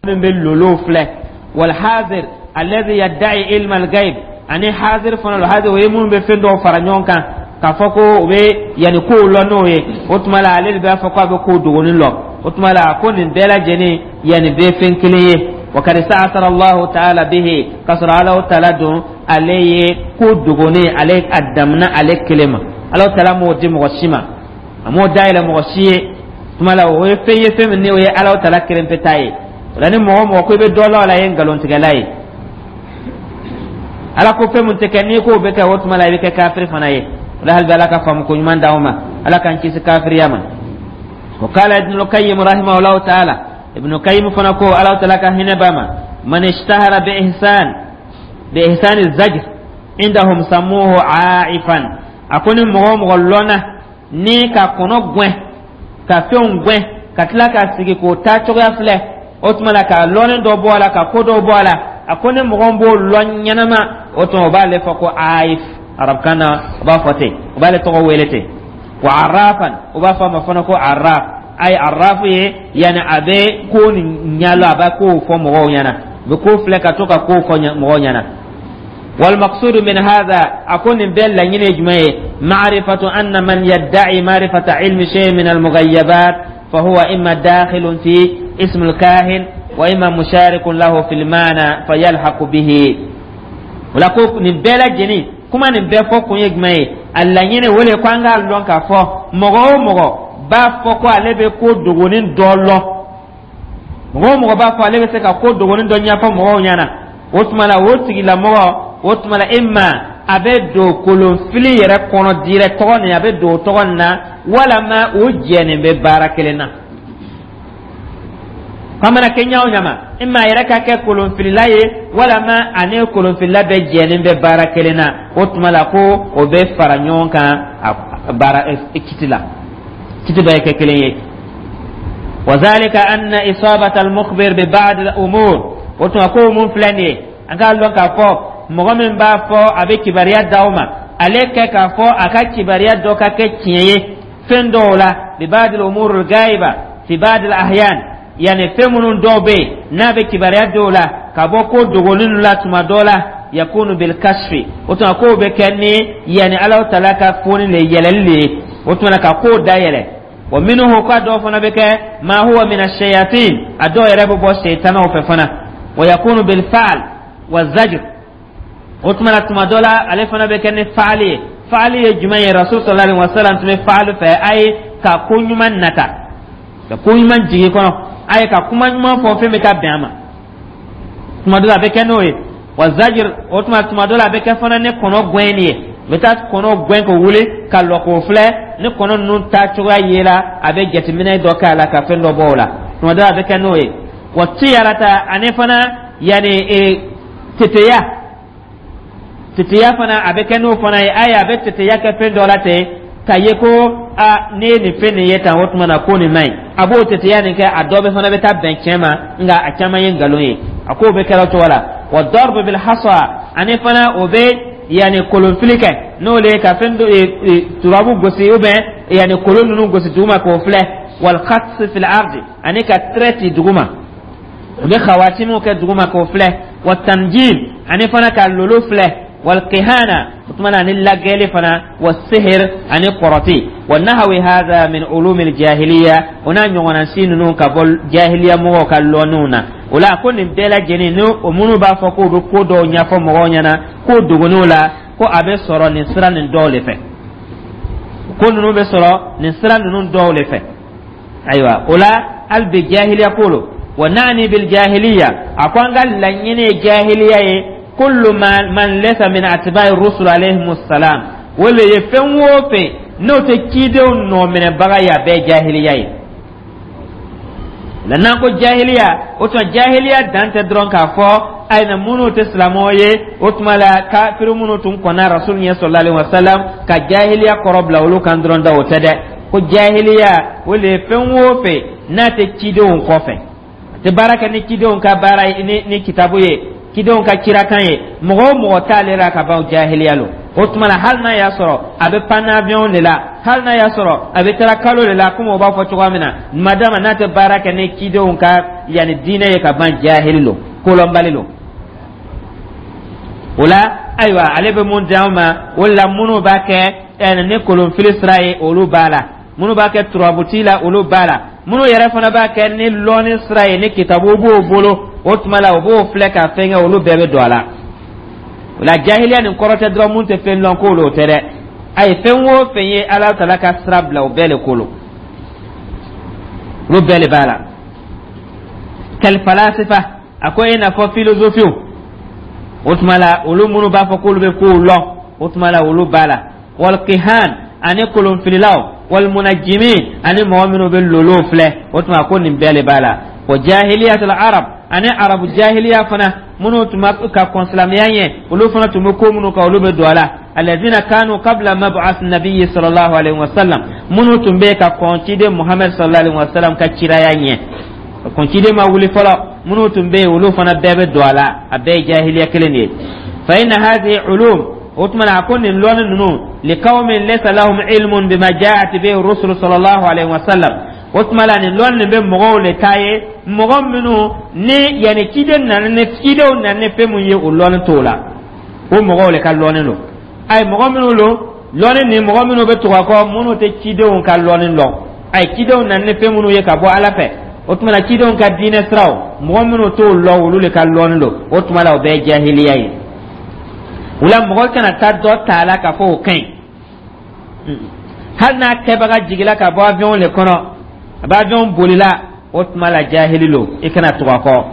min bɛ lolow filɛ. Wal hazir alladhi yadda'i ilma al-ghaib, ani hazir fana lo. Hazir, o ye minnu bɛ fɛn dɔw fara ɲɔgɔn kan k'a fɔ ko o bɛ yanni kow lɔn n'o ye. O tuma la, ale de b'a fɔ ko a bɛ kow dogonin lɔn. O tuma la, ko nin bɛɛ lajɛlen yanni bɛɛ fɛn kelen ye. Wa kad sta'athara Allahu ta'ala bihi, k'a sɔrɔ Alahu ta'ala don, ale ye ko dogonin, ale a damina ale kelen ma. Alahu ta'ala m'o di mɔgɔ si ma, a m'o dayɛlɛ mɔgɔ si ye. Tuma la, o ye fɛn ye, fɛn min ni o ye Alahu ta'ala kelen pe ta ye. O la, ni mɔgɔ o mɔgɔ ko i bɛ dɔ la, o la, i ye nkalontigɛla ye. Ala ko fɛn mun tɛ kɛ, n'i k'o bɛ kɛ, o tuma la, i bɛ kɛ kafiri fana ye. O la, hali bi Ala ka faamu ko ɲuman d'anw ma, Ala k'an kisi kafiriya ma. Wa qala Ibn al-Qayyim rahimahullahu ta'ala, Ibn Qayyim fana ko, Ala ta'ala ka hinɛ b'a ma, man ishtahara bi ihsan bi ihsan az-zajr indahum sammuhu aifan. A ko ni mɔgɔ o mɔgɔ lɔnna ni ka kɔnɔ gɛn, ka fɛnw gɛn, ka tila ka sigi k'o taa cogoya filɛ, o tuma la, ka lɔnni dɔ bɔ a la, ka ko dɔ bɔ a la, a ko ni mɔgɔ b'o lɔn ɲɛnama, o tuma o b'ale fɔ ko aif. Arabukan na, o b'a fɔ ten, o b'ale tɔgɔ wele ten. Wa arrafan, o b'a fɔ a ma fana ko arraf. Ayi, arrafu ye yanni a bɛ ko nin ɲɛlɔ, a bɛ kow fɔ mɔgɔw ɲɛna, a bɛ ko filɛ ka to ka kow fɔ mɔgɔw ɲɛna. والمقصود من هذا أكون بين لنين جمعي معرفة أن من يدعي معرفة علم شيء من المغيبات فهو إما داخل في اسم الكاهن وإما مشارك له في المعنى فيلحق به. Wala ko nin bɛɛ lajɛlen kuma nin bɛɛ fɔ kun ye jumɛn ye? A laɲini o le ko an k'a lɔn k'a fɔ mɔgɔ o mɔgɔ b'a fɔ ko ale bɛ ko dogonin dɔ lɔn, mɔgɔ o mɔgɔ b'a fɔ ale bɛ se ka ko dogonin dɔ ɲɛfɔ mɔgɔw ɲɛna, o tuma la, o tigilamɔgɔ, o tuma la, e ma a bɛ don kolonfili yɛrɛ kɔnɔ dirɛ tɔgɔ nin, a bɛ don o tɔgɔ nin na, walama o jɛnen bɛ baara kelen na. K'a mana kɛ ɲa o ɲa ma, e ma yɛrɛ ka kɛ kolonfilila ye, walama ani kolonfilila bɛ jɛnen bɛ baara kelen na, o tuma la, ko o bɛ fara ɲɔgɔn kan a baara kiti la, kiti bɛɛ kɛ kelen ye. وذلك أن إصابة المخبر ببعض الأمور. O tuma ko mun filɛ nin ye, an k'a lɔn k'a fɔ mɔgɔ min b'a fɔ a bɛ kibaruya d'aw ma, ale kɛ k'a fɔ a ka kibaruya dɔ ka kɛ tiɲɛ ye fɛn dɔw la, ببعض الأمور الغائبة في بعض الأحيان, yani fɛn minnu dɔw bɛ yen n'a bɛ kibaruya dɔw la ka bɔ ko dogolen la tuma dɔ la, yakunu bil kashfi. O tuma k'o bɛ kɛ ni yanni Alahu taala ka foni le yɛlɛli le ye, o tuma ka kow dayɛlɛ. Wa minnu ka dɔw fana bɛ kɛ ma huwa min ash-shayatin, a dɔw yɛrɛ bɛ bɔ seytanaw fɛ fana. Wa yakunu bil fa'al wa zajr. O tuma na, tuma dɔ la, ale fana bɛ kɛ ni faali ye. Faali ye jumɛn ye? Rasul sallallahu alaihi wasallam tun bɛ faali fɛ a ye ka ko ɲuman nata, ka ko ɲuman jigi kɔnɔ, a ye ka kuma ɲuman fɔ, fɛn bɛ taa bɛn a ma. Tuma dɔ la, a bɛ kɛ n'o ye. Wa zajir, o tuma tuma dɔ la, a bɛ kɛ fana ni kɔnɔ gɛnni ye. U bɛ taa kɔnɔ gɛn k'o wuli ka lɔ k'o filɛ, ni kɔnɔ ninnu taa cogoya ye la, a bɛ jateminɛ dɔ kɛ a la ka fɛn dɔ bɔ o la. Tuma dɔ la, a bɛ kɛ n'o ye. Wa tiyarata, ani fana yanni e teteya, teteya fana, a bɛ kɛ n'o fana ye. Ayi, a bɛ teteya kɛ fɛn dɔ la ten ka ye ko a ne ye nin fɛn nin ye tan, o tuma na ko nin man ɲi, a b'o teteya nin kɛ. A dɔ bɛ fana bɛ taa bɛn tiɲɛ ma, nka a caman ye nkalon ye. A k'o bɛ kɛra o cogo la. Wa darbu bil hasa, ani fana o bɛ yanni kolonfili kɛ, n'o le ye ka fɛn dɔ turabu gosi ou bien yanni kolon ninnu gosi duguma k'o filɛ. Wal khats fil ardi, ani ka trait ci duguma, u bɛ khawatimu kɛ duguma k'o filɛ. Wa tanjim, ani fana ka lolo filɛ. Wal kihana, o tuma na, ani lagɛli fana. Wa sihir, ani kɔrɔti. Wa nahawi hadha min ulumi jahiliya, o n'a ɲɔgɔnna si ninnu ka bɔ jahiliya mɔgɔw ka lɔnniw na. O la, ko nin bɛɛ lajɛlen ni o minnu b'a fɔ k'o bɛ ko dɔw ɲɛfɔ mɔgɔw ɲɛna ko dogonniw la, ko a bɛ sɔrɔ nin sira nin dɔw de fɛ, ko ninnu bɛ sɔrɔ nin sira ninnu dɔw de fɛ. Ayiwa, o la, hali bi jahiliya ko lo. Wa na'ni bil jahiliya, a ko an ka laɲini ye jahiliya ye, kullu man laysa min atba'i rusul alayhimus salam, o le ye fɛn o fɛn n'o tɛ cidenw nɔminɛbaga ye, a bɛɛ jahiliya ye. La n'an ko jahiliya, o tuma jahiliya dan tɛ dɔrɔn k'a fɔ ayiwa minnu tɛ silamɛw ye. O tuma la, kafiri minnu tun kɔnna Rasul ɲɛ sallallahu alaihi wasallam, ka jahiliya kɔrɔ bila olu kan dɔrɔn da, o tɛ dɛ. Ko jahiliya, o le ye fɛn o fɛn n'a tɛ cidenw kɔfɛ, a tɛ baara kɛ ni cidenw ka baara ye, ni ni kitabu ye, cidenw ka cirakan ye, mɔgɔ o mɔgɔ t'ale la ka ban, jahiliya lo. O tuma la, hali n'a y'a sɔrɔ a bɛ pan avion de la, hali n'a y'a sɔrɔ a bɛ taara kalo de la, komi o b'a fɔ cogoya min na, madama n'a tɛ baara kɛ ni cidenw ka yanni diinɛ ye ka ban, jahili lo, kolɔnbali lo. O la, ayiwa, ale bɛ mun di an ma? O la, minnu b'a kɛ ni kolonfili sira ye, olu b'a la. Minnu b'a kɛ turabuti la, olu b'a la. Minnu yɛrɛ fana b'a kɛ ni lɔnni sira ye, ni kitabu b'o bolo, o tuma la, o b'o filɛ ka fɛn kɛ, olu bɛɛ bɛ don a la. O la, jahiliya nin kɔrɔ tɛ dɔrɔn mun tɛ fɛn lɔn k'o o tɛ dɛ. Ayi, fɛn o fɛn ye Ala tala ka sira bila, o bɛɛ le ko lo, olu bɛɛ le b'a la. Kalifalasifa, a ko i n'a fɔ filozofiw. O tuma la, olu minnu b'a fɔ k'olu bɛ kow lɔn, o tuma la, olu b'a la. Walkihan, ani kolonfililaw, walmunajimin, ani mɔgɔ minnu bɛ lolow filɛ, o tuma ko nin bɛɛ le b'a la. Wa jahiliyatul arab, ani arabu jahiliya fana, minnu tun bɛ ka kɔn silamɛya ɲɛ, olu fana tun bɛ ko minnu kan, olu bɛ don a la. Alladhina kanu qabla mab'ath nabiyyi sallallahu alaihi wasallam, minnu tun bɛ ka kɔn ciden Muhammad sallallahu alaihi wasallam ka ciraya ɲɛ, kɔn ciden ma wuli fɔlɔ, minnu tun bɛ yen, olu fana bɛɛ bɛ don a la. A bɛɛ ye jahiliya kelen de ye. Fa inna hadhihi ulum, o tuma na, a ko nin lɔnni ninnu, liqawmin laysa lahum ilmun bima ja'at bihi rusul sallallahu alaihi wasallam. O tuma la, nin lɔnni nin bɛ mɔgɔw le ta ye, mɔgɔ minnu ni yanni ciden nana, ni cidenw nana ni fɛn mun ye, o lɔnni t'o la, o mɔgɔw le ka lɔnni don. Ayi, mɔgɔ minnu don lɔnni ni mɔgɔ minnu bɛ tugu a kɔ, minnu tɛ cidenw ka lɔnni lɔn, ayi, cidenw nana ni fɛn minnu ye ka bɔ Ala fɛ, o tuma na, cidenw ka diinɛ siraw, mɔgɔ minnu t'o lɔn, olu le ka lɔnni don. O tuma la, o bɛɛ ye jahiliya ye. O la, mɔgɔ kana taa dɔ ta a la k'a fɔ o ka ɲi, hali n'a kɛbaga jigila ka bɔ avion le kɔnɔ, a bɛ avion bolila, o tuma la, jahili lo, i kana tugu a kɔ.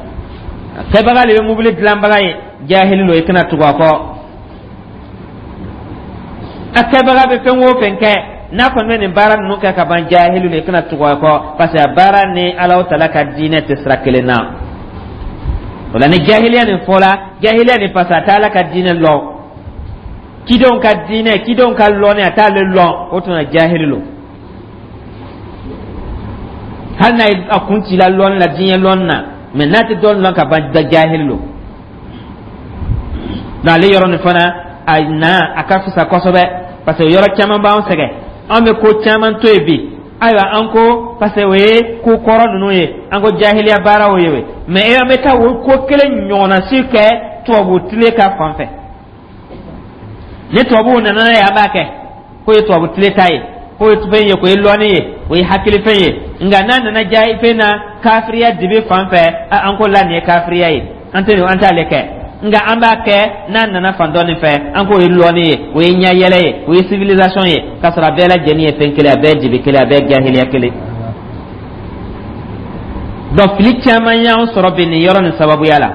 Kɛbaga le bɛ mobili dilanbaga ye, jahili lo, i kana tugu a kɔ. A kɛbaga bɛ fɛn o fɛn kɛ, n'a kɔni bɛ nin baara ninnu kɛ ka ban, jahili lo, i kana tugu a kɔ, parce que a baara ni Alahu tala ka diinɛ tɛ sira kelen na. O la, ni jahiliya nin fɔla, jahiliya nin, parce que a tɛ Ala ka diinɛ lɔn, cidenw ka diinɛ, cidenw ka lɔnni, a t'ale lɔn, o tuma jahili lo. Hali n'a ye a kun ci la lɔnni la, diɲɛ lɔnni na, mɛ n'a tɛ dɔɔni lɔn ka ban, jahili lo. N'ale yɔrɔ nin fana a na, a ka fisa kosɛbɛ, parce que yɔrɔ caman b'an sɛgɛn, an bɛ ko caman to yen bi. Ayiwa, an ko parce que o ye ko kɔrɔ ninnu ye, an ko jahiliya baaraw ye, mɛ an bɛ taa o ko kelen ɲɔgɔnna si kɛ tubabu tile ka fan fɛ. Ni tubabuw nana n'a ye, an b'a kɛ k'o ye tubabu tile ta ye, k'o ye fɛn ye, k'o ye lɔnni ye, o ye hakilifɛn ye. Nka n'a nana ja fɛn na, kafiriya dibi fan fɛ, an ko la nin ye kafiriya ye, an tɛ an t'ale kɛ. Nka an b'a kɛ n'a nana fan dɔ nin fɛ, an k'o ye lɔnni ye, o ye ɲɛyɛlɛ ye, o ye civilisation ye, k'a sɔrɔ a bɛɛ lajɛlen ye fɛn kelen, a bɛɛ ye dibi kelen, a bɛɛ ye jahiliya kelen. Donc fili caman y'an sɔrɔ bi nin yɔrɔ nin sababuya la.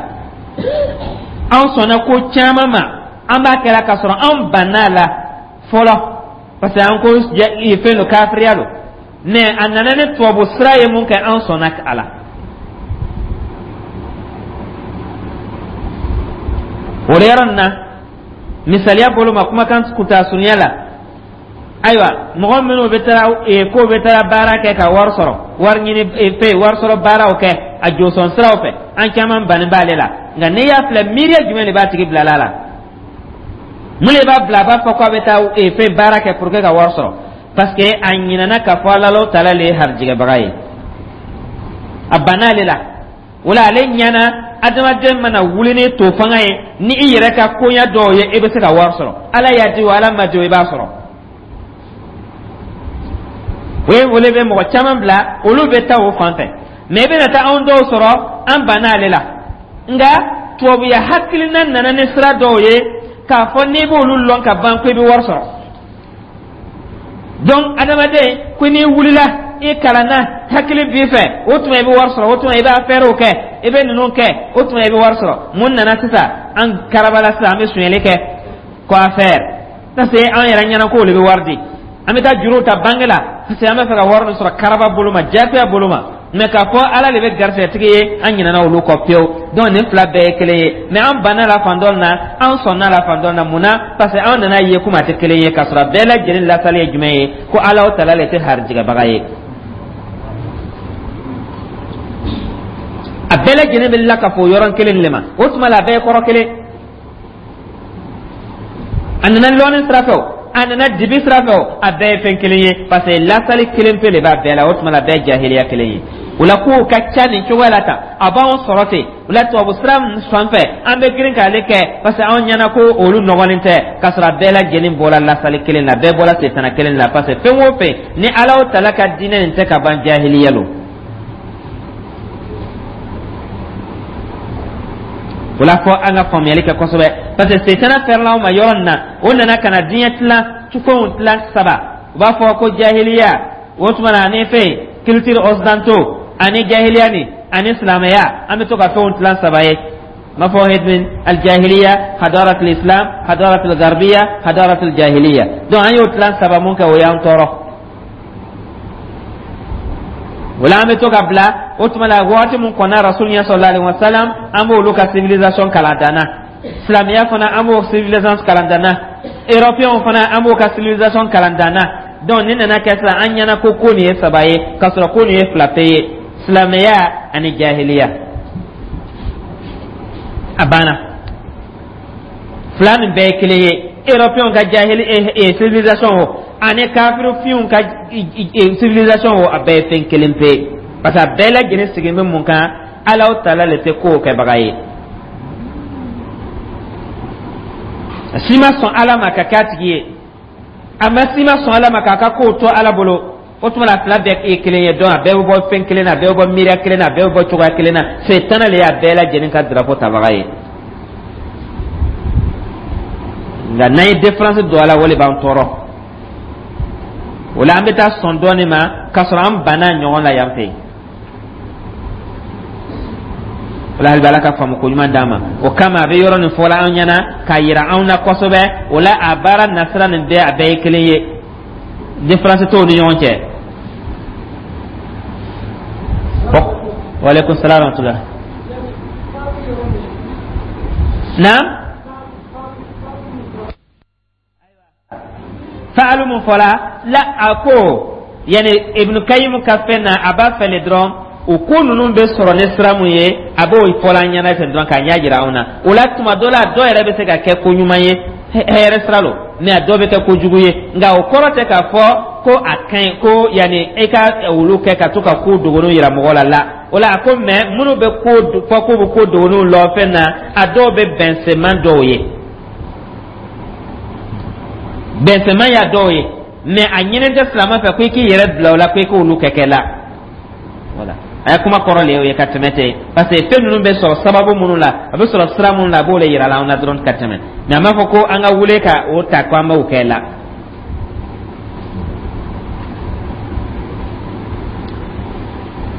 An sɔnna ko caman ma, an b'a kɛra k'a sɔrɔ an banna la fɔlɔ, parce que an ko fɛn don, kafiriya don, mais a nana ni tubabu sira ye mun kɛ, an sɔnna a la. O de yɔrɔ nin na, misaliya bolo ma, kumakan kunta surunya la, ayiwa, mɔgɔ minnu bɛ taa k'o bɛ taa baara kɛ ka wari sɔrɔ, wari ɲini fɛn, wari sɔrɔ baaraw kɛ a jɔsɔn siraw fɛ, an caman bannen b'ale la. Nka n'i y'a filɛ, miiriya jumɛn de b'a tigi bila la? Mun de b'a bila a b'a fɔ k'a bɛ taa fɛn baara kɛ pour que ka wari sɔrɔ? Parce que a ɲinɛna k'a fɔ Ala taala le ye harijɛgɛbaga ye, a banna ale la. O la, ale ɲɛna, adamaden mana wuli ni to fanga ye, ni i yɛrɛ ka koɲa dɔw ye, i bɛ se ka wari sɔrɔ. Ala y'a di o, Ala ma di o, i b'a sɔrɔ. O ye o de bɛ mɔgɔ caman bila, olu bɛ taa o fan fɛ. Mɛ i bɛna taa anw dɔw sɔrɔ, an banna ale la, nka tubabuya hakilina nana ni sira dɔw ye k'a fɔ n'i b'olu lɔn ka ban, ko i bɛ wari sɔrɔ. Donc adamaden ko n'i wulila, i kalanna, hakili b'i fɛ, o tuma i bɛ wari sɔrɔ, o tuma i bɛ affaires kɛ, i bɛ ninnu kɛ, o tuma i bɛ wari sɔrɔ. Mun nana sisan? An karabala sisan, an bɛ sonyɛli kɛ ko affaire, parce que an yɛrɛ ɲɛna k'o de bɛ wari di. An bɛ taa juruw ta banque la, parce que an bɛ fɛ ka wari min sɔrɔ karaba bolo ma, jagoya bolo ma. Mais k'a fɔ Ala de bɛ garisɛgɛtigi ye, an ɲinɛna olu kɔ pewu. Donc nin fila bɛɛ ye kelen ye, mais an banna la fan dɔ na, an sɔnna la fan dɔ na. Mun na? Parce que an nana ye komi a tɛ kelen ye, k'a sɔrɔ a bɛɛ lajɛlen lasali ye jumɛn ye? Ko Ala tala le tɛ harijigɛbaga ye. A bɛɛ lajɛlen bɛ lakafo yɔrɔ kelen de ma. O tuma la, a bɛɛ ye kɔrɔ kelen. A nana lɔnni sira fɛ o, a nana dibi sira fɛ o, a bɛɛ ye fɛn kelen ye, parce que lasali kelen pe de b'a bɛɛ la. O tuma la, a bɛɛ ye jahiliya kelen ye. O la, kow ka ca nin cogoya la tan, a b'anw sɔrɔ ten. O la, tubabu sira fan fɛ, an bɛ girin k'ale kɛ, parce que anw ɲɛna ko olu nɔgɔlen tɛ, k'a sɔrɔ a bɛɛ lajɛlen bɔra lasali kelen na, bɛɛ bɔra setana kelen na. Parce que fɛn o fɛn ni Ala tala ka diinɛ nin tɛ ka ban, jahiliya lo. O la, fɔ an ka faamuyali kɛ kosɛbɛ, parce que setana fɛrɛla anw ma yɔrɔ nin na. O nana ka na diɲɛ tilan fɛnw tilan saba. U b'a fɔ ko jahiliya, o tuma na ani fɛn culture occidentaux, ani jahiliya ni ani silamɛya. An bɛ to ka fɛnw tilan saba ye. N b'a fɔ hedmin aljahiliya, hadarat islam, hadarat garbiya, hadarat jahiliya. Donc an y'o tilan saba mun kɛ, o y'an tɔɔrɔ. O la, an bɛ to ka bila. O tuma la, waati mun kɔnna Rasul ɲɛ sallallahu alaihi wasallam, an b'olu ka civilisation kalan danna. Silamɛya fana, an b'o civilisation kalan danna. Européen fana, an b'o ka civilisation kalan danna. Donc nin nana kɛ sisan, an ɲɛna ko ko nin ye saba ye, k'a sɔrɔ ko nin ye fila pe ye, silamɛya ani jahiliya. A banna, fila nin bɛɛ ye kelen ye. Européen ka jahili civilisation o, ani kafirifinw ka civilisation o, a bɛɛ ye fɛn kelen pe, parce que a bɛɛ lajɛlen sigilen bɛ mun kan? Alaw tala le tɛ kow kɛbaga ye. A si ma sɔn Ala ma ka kɛ a tigi ye, a ma si ma sɔn Ala ma k'a ka kow to Ala bolo. O tuma la, fila bɛɛ ye kelen ye. Donc a bɛɛ bɛ bɔ fɛn kelen na, a bɛɛ bɛ bɔ miiriya kelen na, a bɛɛ bɛ bɔ cogoya kelen na. Setana le y'a bɛɛ lajɛlen ka drapeau tabaga ye. Nka n'an ye différence don a la, o de b'an tɔɔrɔ. O la, an bɛ taa sɔn dɔɔnin ma, k'a sɔrɔ an banna ɲɔgɔn la yan fɛ yen. O la, hali bi, Ala ka faamu ko ɲuman d'an ma. O kama, a bɛ yɔrɔ nin fɔla an ɲɛna k'a yira anw na kosɛbɛ. O la, a baara nasira nin bɛɛ, a bɛɛ ye kelen ye, différence t'o ni ɲɔgɔn cɛ. Waaleykum salaam wa rahmatulah. Naam, faalu mun fɔla la, a ko yani Ibn Kayyim ka fɛn na, a b'a fɛ le dɔrɔn, o ko ninnu bɛ sɔrɔ ni sira mun ye, a b'o fɔla an ɲɛna ten dɔrɔn k'a ɲɛ jira anw na. O la, tuma dɔ la, dɔ yɛrɛ bɛ se ka kɛ ko ɲuman ye, hɛrɛ sira lo, mais a dɔ bɛ kɛ kojugu ye. Nka o kɔrɔ tɛ k'a fɔ ko a ka ɲi ko yanni e ka olu kɛ ka to ka ko dogoninw yira mɔgɔ la la. O la, a ko mais minnu bɛ ko fɔ k'u bɛ ko dogoninw lɔ fɛn na, a dɔw bɛ bɛnsenman dɔw ye, bɛnsenman y'a dɔw ye, mais a ɲini tɛ silamɛ fɛ ko i k'i yɛrɛ bila o la, ko i k'olu kɛ kɛ la. Wala a ye kuma kɔrɔ le ye o ye ka tɛmɛ ten, parce que fɛn ninnu bɛ sɔrɔ sababu minnu la, a bɛ sɔrɔ sira minnu la, a b'o de yira la anw na dɔrɔn ka tɛmɛ. Mais a m'a fɔ ko an ka wele ka o ta ko an b'o kɛ la.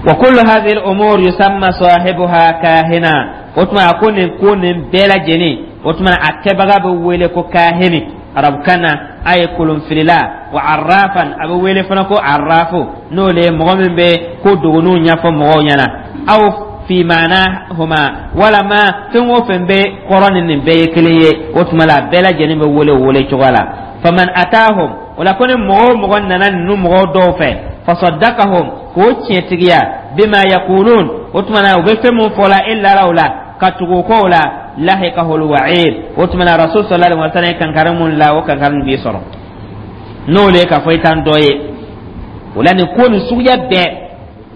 Wa kullu hadhihi al-umur yusamma sahibuha kahina. O tuma, a ko nin ko nin bɛɛ lajɛlen, o tuma a kɛbaga bɛ wele ko kahini arabukan na, a ye kolonfilila, wa arrafan, a bɛ wele fana ko arrafu, n'o le ye mɔgɔ min bɛ ko dogoninw ɲɛfɔ mɔgɔw ɲɛna, aw fi maanahuma, walama fɛn o fɛn bɛ kɔrɔ ni nin bɛɛ ye kelen ye. O tuma la, a bɛɛ lajɛlen bɛ wele o wele cogo la. Faman atahum, o la, ko ni mɔgɔ o mɔgɔ nana ninnu mɔgɔw dɔw fɛ, fasaddaqahum, k'o tiɲɛtigiya, bima yaqulun, o tuma na u bɛ fɛn mun fɔ la, e lara o la ka tugu o kɔ o la, lahikahul wa'id. O tuma na, Rasul sallallahu alaihi wasallam ye kankari mun la, o kankari b'i sɔrɔ, n'o le ye k'a fɔ i t'an dɔ ye. O la, nin ko nin suguya bɛɛ,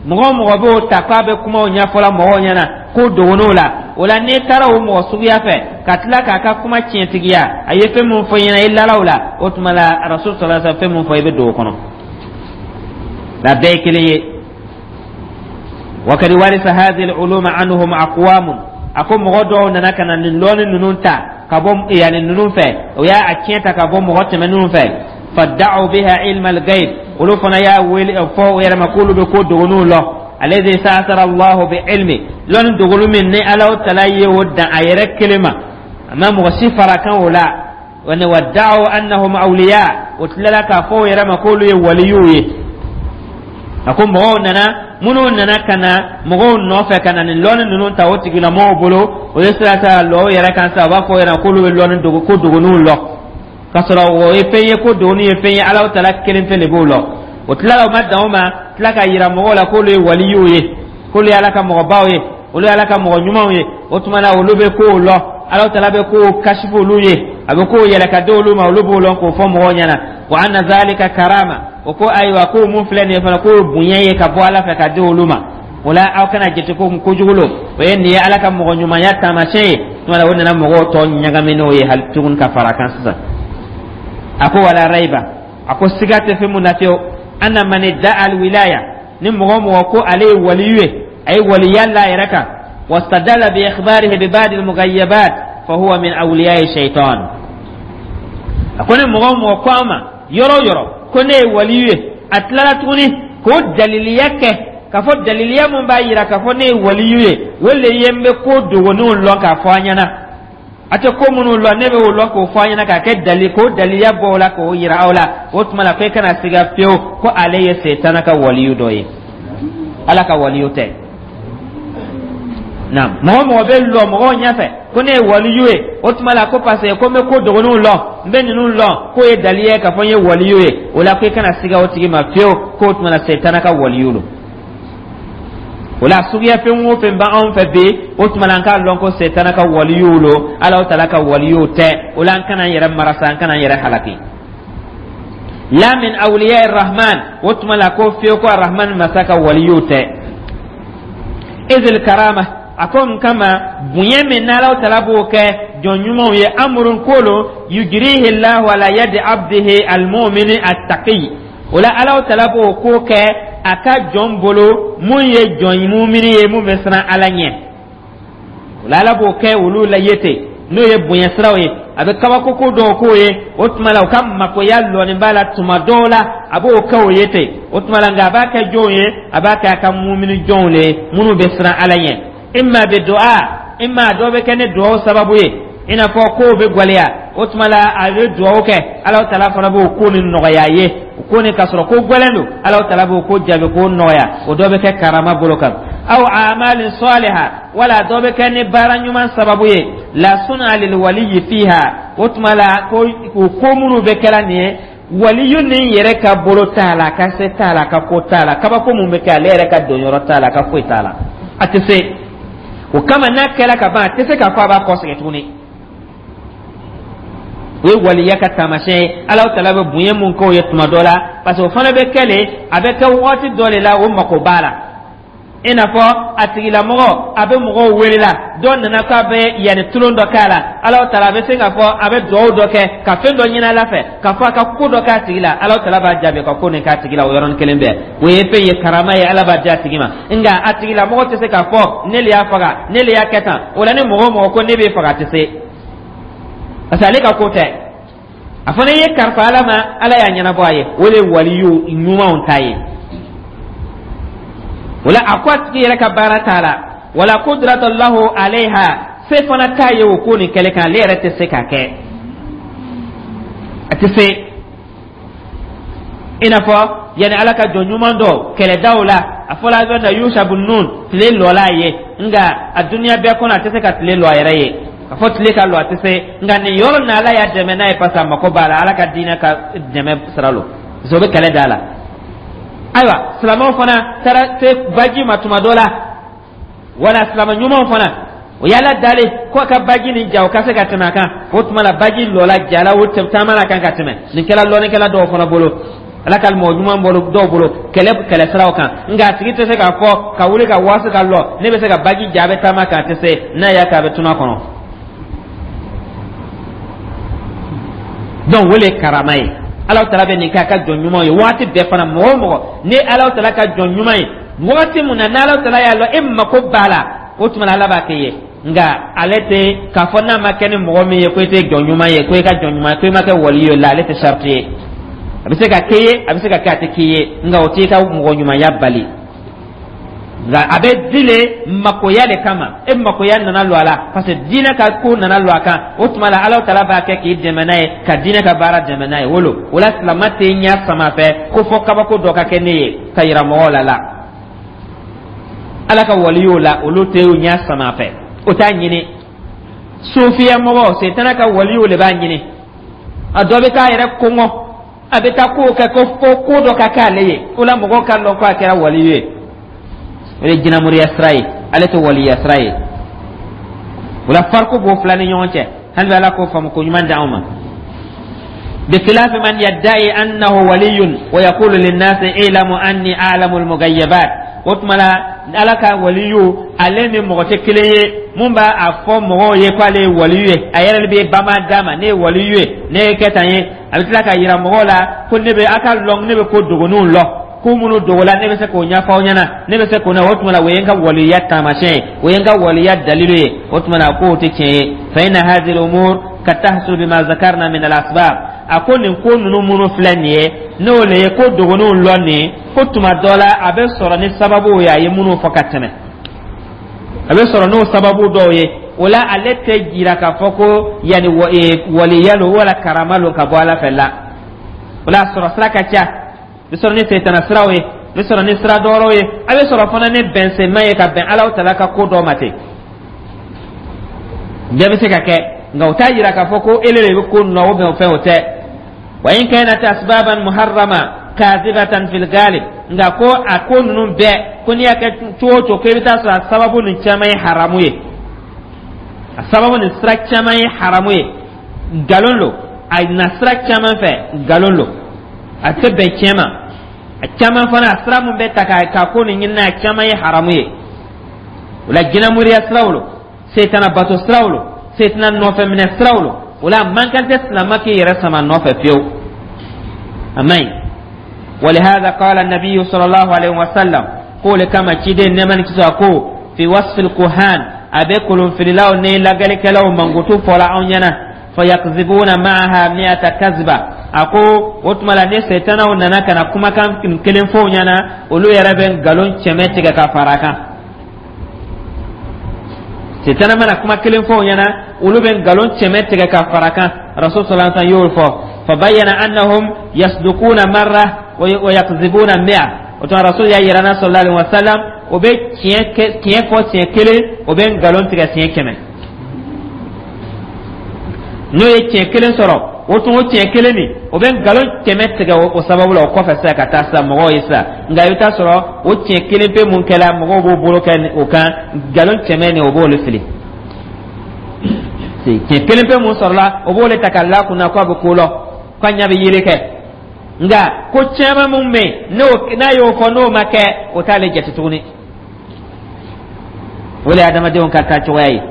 mɔgɔ o mɔgɔ b'o ta k'a bɛ kumaw ɲɛfɔla mɔgɔw ɲɛna ko dogon'o la, o la, n'i taara o mɔgɔ suguya fɛ ka tila k'a ka kuma tiɲɛtigiya, a ye fɛn mun fɔ i ɲɛna, i lala o la, o tuma la, Rasul sallallahu alaihi wasallam fɛn mun fɔ, i bɛ don o kɔnɔ la, bɛɛ ye kelen ye. Wakadi warisa hadhihi al-uluma anhum aqwamun. A ko mɔgɔ dɔw nana ka na nin lɔnni ninnu ta ka bɔ yanni ninnu fɛ, o y'a a tiɲɛ ta ka bɔ mɔgɔ tɛmɛninw fɛ. Fadda'u biha ilma al-ghaib, olu fana y'a wele fɔ o yɛrɛ ma k'olu bɛ ko dogoninw lɔ, alladhi sa'athara Allahu bi ilmi, lɔnni dogolu min ni Alahu tala ye o dan a yɛrɛ kelen ma, a ma mɔgɔ si fara kan o la. Wani wadda'u annahum awliya, o tilala k'a fɔ o yɛrɛ ma k'olu ye waliyuw ye. A ko mɔgɔw nana Minnu nana ka na mɔgɔw nɔfɛ ka na nin lɔnni ninnu ta o tigilamɔgɔw bolo, o ye sira ta lɔ o yɛrɛ kan sa, u b'a fɔ o ɲɛna k'olu bɛ lɔnni dogo, ko dogoninw lɔ, k'a sɔrɔ o ye fɛn ye, ko dogoni ye fɛn ye, Alahu Taala kelen pe de b'o lɔ. O tilala, o ma dan o ma, tila ka yira mɔgɔw la k'olu ye waliyiw ye, k'olu ye Ala ka mɔgɔbaw ye, olu ye Ala ka mɔgɔ ɲumanw ye. O tuma na, olu bɛ kow lɔ, Alahu Taala bɛ kow kasifu olu ye, a bɛ kow yɛlɛ ka di olu ma, olu b'o lɔn k'o fɔ mɔgɔw ɲɛna. Wa anna zalika karama. O ko ayiwa, ko mun filɛ nin ye fana, k'o ye bonya ye ka bɔ Ala fɛ ka di olu ma. O la, aw kana jate ko kojugu lo, o ye nin ye Ala ka mɔgɔ ɲumanya taamasiyɛn ye. Tuma la, o nana mɔgɔw tɔ ɲagami n'o ye hali tuguni ka fara kan sisan. A ko wala raiba, a ko siga tɛ fɛn mun na fiyewu, anna man idda'a alwilaya, ni mɔgɔ mɔgɔ ko ale ye waliyu ye, a ye waliya la a yɛrɛ kan, wastadalla bi ikhbarihi bi ba'di almughayyabat, fa huwa min awliya'i shaytan. A ko ni mɔgɔ mɔgɔ ko a ma yɔrɔ o yɔrɔ ko ne ye waliyu ye, a tilala tuguni k'o daliliya kɛ k'a fɔ daliliya mun b'a yira k'a fɔ ne ye waliyu ye, o le ye n bɛ ko dogoninw lɔn k'a fɔ an ɲɛna, a tɛ ko minnu lɔn, ne bɛ o lɔn k'o fɔ an ɲɛna, k'a kɛ dali, k'o daliya bɔ o la k'o yira aw la, o tuma la, ko e kana siga fiyewu ko ale ye Setana ka waliyu dɔ ye, Ala ka waliyu tɛ. Naam, mɔgɔ mɔgɔ bɛ lɔ mɔgɔw ɲɛfɛ ko ne ye waliyu ye, o tuma la ko parce que ko n bɛ ko dogoninw lɔn, n bɛ ninnu lɔn, k'o ye daliya ye k'a fɔ n ye waliyu ye, o la ko i kana siga o tigi ma fiyewu, k'o tuma la Setana ka waliyu don. O la, suguya fɛn o fɛn b'anw fɛ bi, o tuma la, an k'a lɔn ko Setana ka waliyuw lo, Alahu Taala ka waliyuw tɛ. O la, an kana an yɛrɛ marasa, an kana an yɛrɛ halaki. La min awliya rahman, o tuma la ko fiyewu ko Arahman masa ka waliyuw tɛ. Izil karama, a ko n kama bonya min n'Alahu Taala b'o kɛ jɔn ɲumanw ye, amurun kolo yujrihi Allahu ala yadi abdihi almumini attaqi. O la, Alahu Taala b'o ko kɛ a ka jɔn bolo mun ye jɔn mumini ye, mun bɛ siran Ala ɲɛ. O la, Ala b'o kɛ olu la ye ten, n'o ye bonya siraw ye, a bɛ kabako ko dɔw k'o ye. O tuma la, u ka makoya lɔnni b'a la tuma dɔw la, a b'o kɛ o ye ten. O tuma la, nka a b'a kɛ jɔnw ye? A b'a kɛ a ka mumini jɔnw le ye, minnu bɛ siran Ala ɲɛ. Imma bi du'a, imma dɔ bɛ kɛ ni duwawu sababu ye, i n'a fɔ kow bɛ gwɛlɛya, o tuma la a bɛ duwawu kɛ, Alahu Taala fana b'o ko nin nɔgɔya a ye. O ko nin ka sɔrɔ ko gwɛlɛn don, Alahu Taala b'o ko jaabi k'o nɔgɔya. O dɔ bɛ kɛ karama bolo kan, aw amalin saliha, wala dɔ bɛ kɛ ni baara ɲuman sababu ye. La suna lil waliyi fiha, o tuma la ko o ko minnu bɛ kɛla nin ye, waliyu nin yɛrɛ ka bolo t'a la, a ka se t'a la, a ka ko t'a la. Kabako mun bɛ kɛ, ale yɛrɛ ka donyɔrɔ t'a la, a ka foyi t'a la, a tɛ se o kama. N'a kɛla ka ban, a tɛ se k'a fɔ a b'a kɔsegin tuguni. O ye waliya ka taamasiyɛn ye, Alahu Taala bɛ bonya mun k'o ye tuma dɔ la, parce que o fana bɛ kɛ le, a bɛ kɛ waati dɔ de la, o mako b'a la. I n'a fɔ a tigilamɔgɔ a bɛ mɔgɔw wele la, dɔ nana k'a bɛ yanni tulon dɔ k'a la, Alahu Taala a bɛ se k'a fɔ a bɛ duwawu dɔ kɛ ka fɛn dɔ ɲini Ala fɛ k'a fɔ a ka ko dɔ k'a tigi la, Alahu Taala b'a jaabi ka ko nin k'a tigi la o yɔrɔnin kelen bɛɛ. O ye fɛn ye, karama ye, Ala b'a di a tigi ma. Nka a tigilamɔgɔ tɛ se k'a fɔ ne le y'a faga, ne le y'a kɛ tan. O la, ni mɔgɔ o mɔgɔ ko ne b'e faga, a tɛ se, parce que ale ka ko tɛ. A fana ye kalifa Ala ma, Ala y'a ɲɛnabɔ a ye. O de ye waliyu ɲumanw ta ye. O la, a ko a tigi yɛrɛ ka baara t'a la, wala kudrata lahu alayha, se fana t'a ye o ko nin kɛlɛ kan, ale yɛrɛ tɛ se k'a kɛ, a tɛ se. I n'a fɔ yanni Ala ka jɔn ɲuman dɔ kɛlɛdaw la, a fɔla a bɛ na Yusha bun Nun, tile lɔla a ye, nka a duniya bɛɛ kɔnɔ, a tɛ se ka tile lɔ a yɛrɛ ye, ka fɔ tile ka lɔ, a tɛ se. Nka nin yɔrɔ nin, Ala y'a dɛmɛ n'a ye, parce que a mako b'a la, Ala ka diinɛ ka dɛmɛ sira lo, parce que o bɛ kɛlɛ da la. Ayiwa, silamɛw fana taara se baji ma tuma dɔ la, wala silamɛ ɲumanw fana o y'Ala dali ko ka baji nin ja, o ka se ka tɛmɛ a kan. O tuma la, baji lɔla jala, o taama la kan ka tɛmɛ. Nin kɛra lɔnnikɛla dɔw fana bolo, Ala ka mɔgɔ ɲuman bolo dɔw bolo kɛlɛ kɛlɛ siraw kan. Nka a tigi tɛ se k'a fɔ ka wuli ka waasi ka lɔ, ne bɛ se ka baji ja, a bɛ taama kan, a tɛ se. N'a y'a kɛ, a bɛ tunu a kɔnɔ. Donc o le ye karama ye. Ala Taala bɛ nin kɛ a ka jɔn ɲumanw ye waati bɛɛ fana. Mɔgɔ o mɔgɔ ni Ala Taala ka jɔn ɲuman ye, wagati mun na n'Ala Taala y'a lɔn e mako b'a la, o tuma na Ala b'a kɛ ye. Nka ale tɛ k'a fɔ n'a ma kɛ ni mɔgɔ min ye ko e tɛ jɔn ɲuman ye, ko e ka jɔn ɲuman ye, ko e ma kɛ wali ye la, ale tɛ sariti ye. A bɛ se ka k'e ye, a bɛ se ka kɛ a tɛ k'i ye, nka o t'i ka mɔgɔ ɲumanya bali. Nka a bɛ di le makoya de kama, e makoya nana lɔ a la, parce que diinɛ ka ko nana lɔ a kan. O tuma la, Ala Taala b'a kɛ k'i dɛmɛ n'a ye, ka diinɛ ka baara dɛmɛ n'a ye. Wolo o la, silama tɛ ɲɛ sama fɛ ko fɔ kabako dɔ ka kɛ ne ye ka yira mɔgɔw la la. Ala ka waliyu la, olu tɛ ɲɛ sama fɛ, o t'a ɲini. Sufiya mɔgɔ, setana ka waliyu le b'a ɲini. A dɔ bɛ taa yɛrɛ kɔngɔ, a bɛ taa kow kɛ ko fo ko dɔ ka k'ale ye, o la mɔgɔw ka lɔn ko a kɛra waliyu ye. O ye jinamoriya sira ye, ale tɛ waliya sira ye. O la, fariko b'o fila ni ɲɔgɔn cɛ. Hali bi, Ala k'o faamu ko ɲuman di anw ma. بخلاف من يدعي أنه ولي ويقول للناس اعلموا أني أعلم المغيبات. O tuma la, Ala ka waliyu, ale ni mɔgɔ tɛ kelen ye. Mun b'a a fɔ mɔgɔw ye k'ale ye waliyu ye, a yɛrɛ bɛ bama d'a ma: ne ye waliyu ye, ne ye kɛ tan ye. A bɛ tila ka yira mɔgɔw la ko ne bɛ a ka lɔn, ne bɛ ko dogoninw lɔn, ko minnu dogola, ne bɛ se k'o ɲɛfɔ aw ɲɛna, ne bɛ se k'o na. O tuma la, o ye n ka waliya taamasiyɛn ye, o ye n ka waliya dalilu ye. O tuma la, k'o tɛ tiɲɛ ye. فإن هذه الأمور قد تحصل بما ذكرنا من الأسباب. A ko nin ko ninnu minnu filɛ nin ye, n'o le ye ko dogoninw lɔn nin, ko tuma dɔ la, a bɛ sɔrɔ ni sababuw ye, a ye minnu fɔ ka tɛmɛ, a bɛ sɔrɔ n'o sababu dɔw ye. O la, ale tɛ jira k'a fɔ ko yanni waliya lo wala karama lo ka bɔ Ala fɛ la. O la, a sɔrɔ sira ka ca. A bɛ sɔrɔ ni setana siraw ye, a bɛ sɔrɔ ni sira dɔwɛrɛw ye, a bɛ sɔrɔ fana ni bɛnsenma ye ka bɛn Alahu Taala ka ko dɔ ma ten. Bɛɛ bɛ se ka kɛ, nka o t'a yira k'a fɔ ko ele de bɛ ko nɔ o bɛn o fɛn, o tɛ. وإن كانت أسبابا محرمة كاذبة في الغالب. Nka ko a ko ninnu bɛɛ ko n'i y'a kɛ cogo o cogo, ko i bɛ taa sɔrɔ a sababu nin caman ye haramu ye, a sababu nin sira caman ye haramu ye, nkalon lo. A na sira caman fɛ, nkalon lo, a tɛ bɛn tiɲɛ ma. A caman fana, a sira mun bɛ ta ka ka ko nin ɲini, a caman ye haramu ye. O la, jinɛmoriya siraw lo, setana bato siraw lo, setana nɔfɛ minɛ siraw lo. O la, a man kan tɛ silama k'i yɛrɛ sama nɔfɛ fiyewu, a man ɲi. ولهذا قال النبي صلى الله عليه وسلم, قول كما تشيدين نمان كسا في وصف الكهان, أبي كلهم في الله ني لغلكلو منغوتو فولا أونينا: فيكذبون معها مئة كذبة. Ako o tuma la, ni setanaw nana ka na kumakan kelen fɔ ɲɛna, olu yɛrɛ bɛ nkalon kɛmɛ tigɛ ka fara a kan. Setana mana kuma kelen fɔ ɲɛna, olu bɛ nkalon kɛmɛ tigɛ ka fara a kan. Rasul صلى الله عليه وسلم y'o fɔ. فبين أنهم يصدقون مرة ويكذبون مئة. O tuma, rasul y'a yira na صلى الله عليه وسلم, o bɛ tiɲɛ tiɲɛ fɔ siɲɛ kelen, o bɛ nkalon tigɛ siɲɛ kɛmɛ. N'o ye tiɲɛ kelen sɔrɔ, o tun o tiɲɛ kelen nin, o bɛ nkalon kɛmɛ tigɛ o sababu la. O kɔfɛ sisan, ka taa sisan mɔgɔw ye sisan, nka i bɛ taa sɔrɔ o tiɲɛ kelen pe mun kɛla, mɔgɔw b'o bolo kɛ o kan, nkalon kɛmɛ nin, o b'olu fili. Tiɲɛ kelen pe mun sɔrɔla, o b'o le ta ka la kunna ko a bɛ ko lɔ, k'a ɲɛ bɛ yeli kɛ. Nka ko caman mun bɛ yen, n'o n'a y'o fɔ, n'o ma kɛ, o t'ale jate tuguni. O de ye adamadenw ka taa cogoya ye.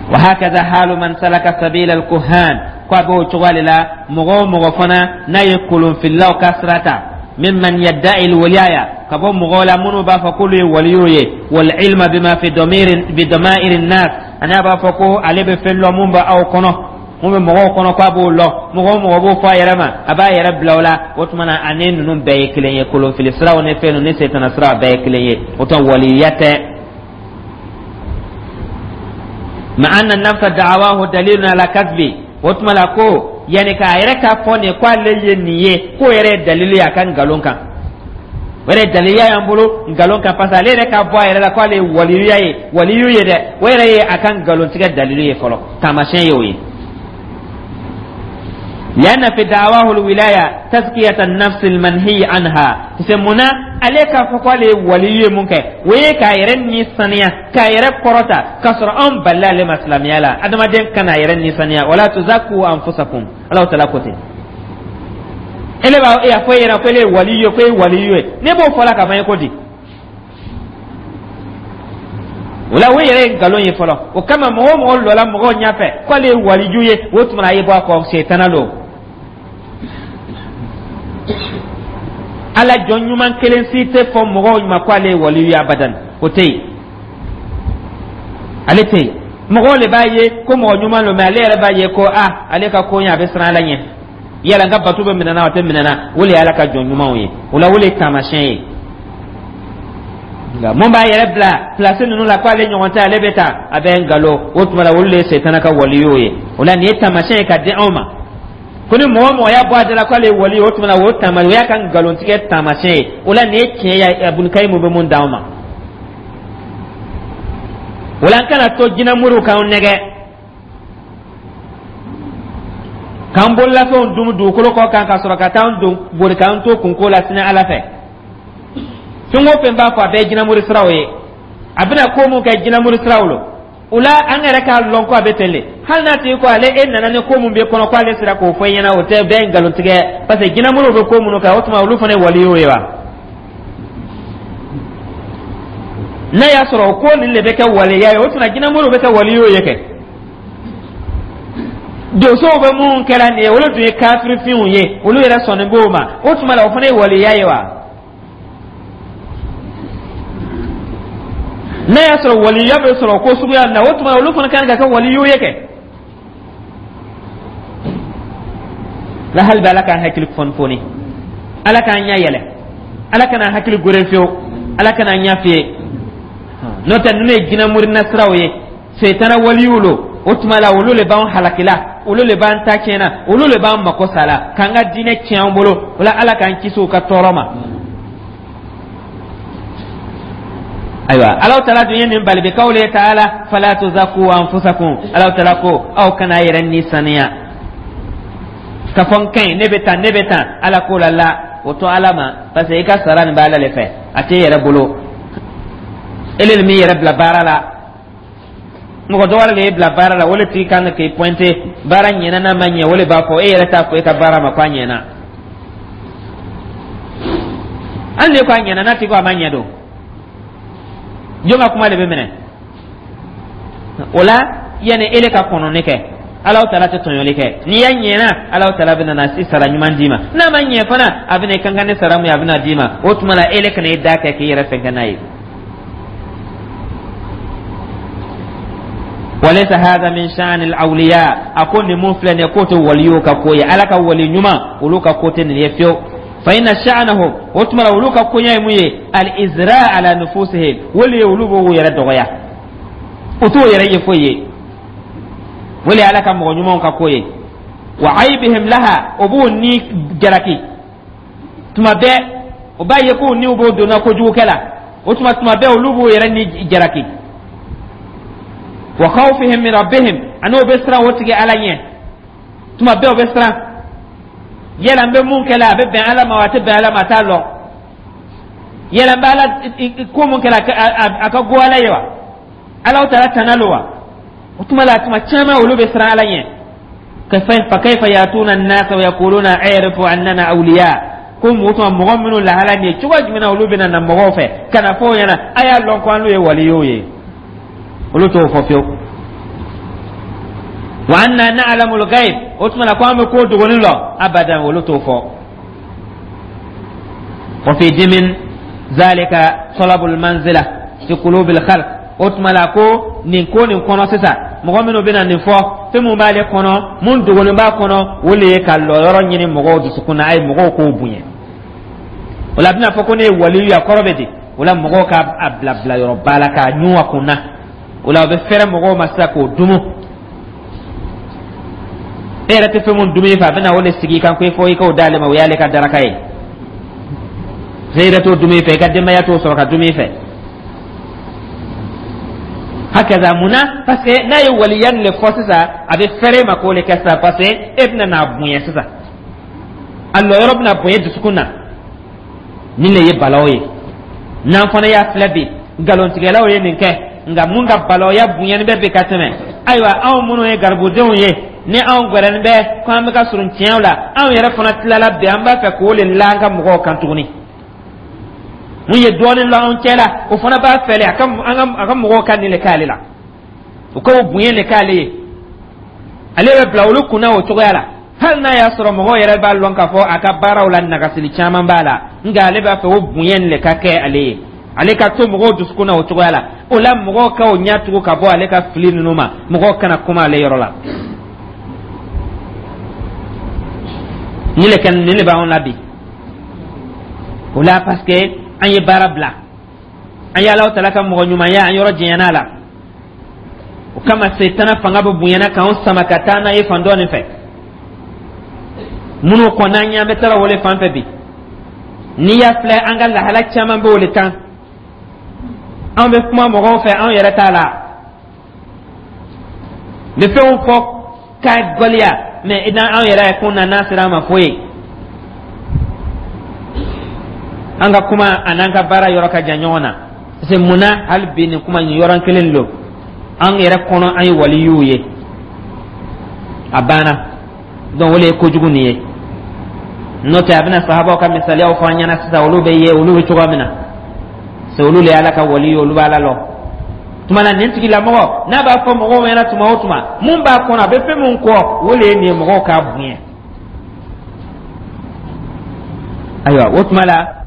وهكذا حال من سلك سبيل الكهان. Ko a b'o cogoya de la, mɔgɔ o mɔgɔ fana n'a ye kolonfililaw ka sira ta, ممن يدعي الولاية, ka bɔ mɔgɔw la minnu b'a fɔ k'olu ye waliyu ye, والعلم بما في ضمير بضمائر الناس, ani a b'a fɔ ko ale bɛ fɛn lɔn mun bɛ aw kɔnɔ, mun bɛ mɔgɔw kɔnɔ, k'a b'o lɔn. Mɔgɔ o mɔgɔ b'o fɔ a yɛrɛ ma, a b'a yɛrɛ bila o la. O tuma na, ani ninnu bɛɛ ye kelen ye. Kolonfili siraw ni fɛn ninnu ni setana siraw bɛɛ ye kelen ye. O tuma, waliya tɛ. مع أن نفس دعواه دليل على كذبه. O tuma la, ko yanni k'a yɛrɛ k'a fɔ nin ko ale ye nin ye, k'o yɛrɛ ye dalilu ye a ka nkalon kan. O yɛrɛ daliya y'an bolo nkalon kan, parce que ale yɛrɛ k'a bɔ a yɛrɛ la k'ale ye waliyuya ye, waliyu ye dɛ, o yɛrɛ ye a ka nkalontigɛ dalilu ye fɔlɔ, taamasiyɛn ye o ye. لأن في دعواه الولاية تزكية النفس المنهي عنها. C'est mun na ale k'a fɔ k'ale ye waliyu ye mun kɛ, o ye k'a yɛrɛ ni saniya, k'a yɛrɛ kɔrɔta, k'a sɔrɔ anw balila ale ma silamɛya la. Adamaden kana a yɛrɛ ni saniya. ولا تزكوا أنفسكم, Alahu Taala ko ten. Ele b'a e y'a fɔ e ɲɛna ko ele ye waliyu ye, ko e ye waliyu ye, ne b'o fɔ la ka ban ye ko di. O la, o yɛrɛ ye nkalon ye fɔlɔ. O kama, mɔgɔ o mɔgɔ lɔla mɔgɔw ɲɛfɛ k'ale ye waliju ye, o tuma na, a ye bɔ a kɔ, setana don. Ala jɔn ɲuman kelen si tɛ fɔ mɔgɔw ma ko ale ye waliyu ye abadan, o tɛ yen, ale tɛ yen. Mɔgɔw de b'a ye ko mɔgɔ ɲuman don, mɛ ale yɛrɛ b'a ye ko a ale ka ko ɲɛ, a bɛ siran Ala ɲɛ, yala n ka bato bɛ minɛ na, o tɛ minɛ na. O de ye Ala ka jɔn ɲumanw ye. O la, o de ye taamasiyɛn ye. Nka mun b'a yɛrɛ bila pilasi ninnu la ko ale ɲɔgɔn tɛ, ale bɛ ta, a bɛ nkalon. O tuma la, olu de ye setana ka waliyuw ye. O la, nin ye taamasiyɛn ye ka di anw ma. Ko ni mɔgɔ mɔgɔ y'a bɔ a da la k'ale ye wali ye, o tuma na o taama, o y'a ka nkalontigɛ taamasiyɛn ye. O la, nin ye tiɲɛ ye. Ibunikayimu bɛ mun d'anw ma o la? An kana to jinɛmoriw k'an nɛgɛ, k'an bololafɛnw dun dugukolo kɔ kan, ka sɔrɔ ka taa an don bori k'an to kunko la sini Ala fɛ. Fɛn o fɛn b'a fɔ, a bɛɛ ye jinɛmori siraw ye. A bɛna ko mun kɛ, jinɛmori siraw lo. O la, an yɛrɛ k'a lɔn ko a bɛ ten de. Hali n'a tigi ko ale e nana ni ko mun b'e kɔnɔ, ko ale sera k'o fɔ i ɲɛna, o tɛ bɛɛ ye nkalontigɛ, parce que jinɛmoriw bɛ ko minnu kɛ, o tuma olu fana ye waliyow ye wa? N'a y'a sɔrɔ o ko nin de bɛ kɛ waliya ye, o tuma jinɛmoriw bɛ kɛ waliyow ye kɛ. Donsow bɛ mun kɛra nin ye, olu dun ye kafirifinw ye, olu yɛrɛ sɔnnen b'o ma. O tuma la, o fana ye waliya ye wa? N'a y'a sɔrɔ waliya bɛ sɔrɔ ko suguya na, o tuma olu fana kan ka kɛ waliyu ye kɛ. La hali bɛ Ala k'an hakili fɔni fɔni, Ala k'an ɲɛ yɛlɛ, Ala kana hakili gore fiyewu, Ala kana ɲɛ fiyɛ. N'o tɛ, ninnu ye jinɛmori nasiraw ye, setana waliyu lo. O tuma la, olu le b'an halakila, olu le b'an ta tiɲɛna, olu le b'an mako sa la, k'an ka diinɛ tiɲɛ an bolo. O la, Ala k'an kisi u ka tɔɔrɔ ma. Ayiwa, Alaw Taala dun ye nin bali bi kawle taala: fala tuzaku anfusakum. Alaw Taala ko aw kana yɛrɛ ni saniya ka fɔ n ka ɲi, ne bɛ tan, ne bɛ tan. Ala ko la la, o to Ala ma, parce que i ka sara nin bɛ Ala le fɛ, a t'e yɛrɛ bolo. Ele de m'i yɛrɛ bila baara la, mɔgɔ dɔ wɛrɛ de y'e bila baara la. O le tigi kan k'i pointer, baara ɲɛna n'a ma ɲɛ, o le b'a fɔ. E yɛrɛ t'a fɔ e ka baara ma ko a ɲɛna. Hali n'e ko a ɲɛna, n'a tigi ko a ma ɲɛ don, jɔn ka kuma de bɛ minɛ o la? Yanni ele ka kɔnɔni kɛ, Alaw Taala tɛ tɔɲɔli kɛ. N'i y'a ɲɛna, Alaw Taala bɛna na si sara ɲuman d'i ma. N'a ma ɲɛ fana, a bɛna i kan kan ni sara mun ye, a bɛna d'i ma. O tuma la, ele kana i da kɛ k'i yɛrɛ fɛn kɛ n'a ye. Walaysa hadha min sha'ni al-awliya. A ko nin mun filɛ nin ye, k'o tɛ waliyow ka ko ye. Ala ka wali ɲuman, olu ka ko tɛ nin ye fiyewu. Fa inna sha'nahum, o tuma la, olu ka koɲɛ ye mun ye? Al-izra ala nufusihim, wali ye olu b'u yɛrɛ dɔgɔya, u t'u yɛrɛ ye foyi ye. Wali Ala ka mɔgɔ ɲumanw ka ko ye. Wa aibihim laha, o b'u ni jalaki tuma bɛɛ, o b'a ye k'u niw b'o donna kojugukɛ la. O tuma, tuma bɛɛ olu b'u yɛrɛ ni jalaki. Wa khawfihim min rabbihim, ani o bɛ siran o tigi Ala ɲɛ. Tuma bɛɛ o bɛ siran yala n bɛ mun kɛ la, a bɛ bɛn Ala ma wa, a tɛ bɛn Ala ma, a t'a lɔn. Yala n bɛ Ala ko mun kɛ la, a ka go Ala ye wa, Ala taala tana lo wa? O tuma la, tuma caman olu bɛ siran Ala ɲɛ. Fa kayfa yatuna an-nasa wa yaquluna a'rifu annana awliya? Ko mɔgɔ tuma mɔgɔ minnu lahala nin ye, cogo jumɛn na olu bɛna na mɔgɔw fɛ ka na fɔ o ɲɛna a y'a lɔn ko an n'u ye waliyow ye? Olu t'o fɔ fiyewu. Wa anna na'lamu al-ghaib, o tuma na ko an bɛ ko dogonin lɔn, abadan, olu t'o fɔ. Wa fi dimin zalika talabul manzila fi qulubil khalq. O tuma la, ko nin ko nin kɔnɔ sisan, mɔgɔ minnu bɛna nin fɔ, fɛn mun b'ale kɔnɔ, mun dogonin b'a kɔnɔ, o de ye ka lɔyɔrɔ ɲini mɔgɔw dusukun na, a ye mɔgɔw k'o bonya. O la, a bɛna fɔ ko ne ye waliyu ye, a kɔrɔ bɛ di? O la, mɔgɔw ka a bila bilayɔrɔba la k'a ɲun a kun na. O la, o bɛ fɛrɛ mɔgɔw ma sisan k'o dumu. E yɛrɛ tɛ fɛn mun dumuni fɛ, a bɛna o de sigi i kan ko fɔ i k'o d'ale ma, o y'ale ka daraka ye. E yɛrɛ t'o dumuni fɛ, i ka denbaya t'o sɔrɔ ka dumuni fɛ. Hakaza. Munna? Parce que n'a ye waliya nin le fɔ sisan, a bɛ fɛrɛ ma k'o le kɛ sisan, parce que e bɛna n'a bonya sisan, a lɔyɔrɔ bɛna bonya dusukun na. Nin le ye balaw ye. N'an fana y'a filɛ bi, nkalontigɛlaw ye nin kɛ, nka mun ka balawya bonyani bɛ bi ka tɛmɛ? Ayiwa, anw minnu ye garibudenw ye, ni anw gɛrɛnin bɛ ko an bɛ ka surun tiɲɛw la, anw yɛrɛ fana tilala bi, an b'a fɛ k'o le la an ka mɔgɔw kan tuguni. Mun ye dɔɔnin la anw cɛ la, o fana b'a fɛlɛ a ka a ka mɔgɔw ka nin le k'ale la, o k'o bonya le k'ale ye. Ale bɛ bila olu kunna o cogoya la, hali n'a y'a sɔrɔ mɔgɔw yɛrɛ b'a lɔn k'a fɔ a ka baaraw la nagasili caman b'a la, nka ale b'a fɛ o bonya nin le ka kɛ ale ye, ale ka to mɔgɔw dusukun na o cogoya la. O la, mɔgɔw ka o ɲɛ tugu ka bɔ ale ka fili ninnu ma, mɔgɔw kana kuma ale yɔrɔ la. Nin le kɛ, nin le b'anw la bi. O la, parce que an ye baara bila, an ye Alahu Taala ka mɔgɔ ɲumanya, an yɔrɔ janyana la. O kama, setana fanga bɛ bonyana k'anw sama ka taa n'a ye fan dɔ nin fɛ. Minnu kɔnɔ an ɲɛ bɛ taara o le fan fɛ bi. N'i y'a filɛ, an ka lahala caman bɛ o le kan. An bɛ kuma mɔgɔw fɛ, anw yɛrɛ t'a la n bɛ fɛnw fɔ k'a gɔliya, mɛ anw yɛrɛ kun na n'a sera an ma foyi. An ka kuma an'an ka baara yɔrɔ ka jan ɲɔgɔn na, parce que munna hali bi nin kuma nin yɔrɔ kelen don? An yɛrɛ kɔnɔ, an ye waliyuw ye, a banna. Donc o de ye kojugu nin ye. N'o tɛ, a bɛna sahabaw ka misaliyaw fɔ an ɲɛna sisan, olu bɛ ye, olu bɛ cogoya min na, c'est olu le ye Ala ka wali ye, olu b'a la lɔ. Tuma na nin tigilamɔgɔ n'a b'a fɔ mɔgɔw ɲɛna tuma o tuma, mun b'a kɔnɔ, a bɛ fɛn min kɔ, o le ye nin ye, mɔgɔw k'a bonya. Ayiwa, o tuma la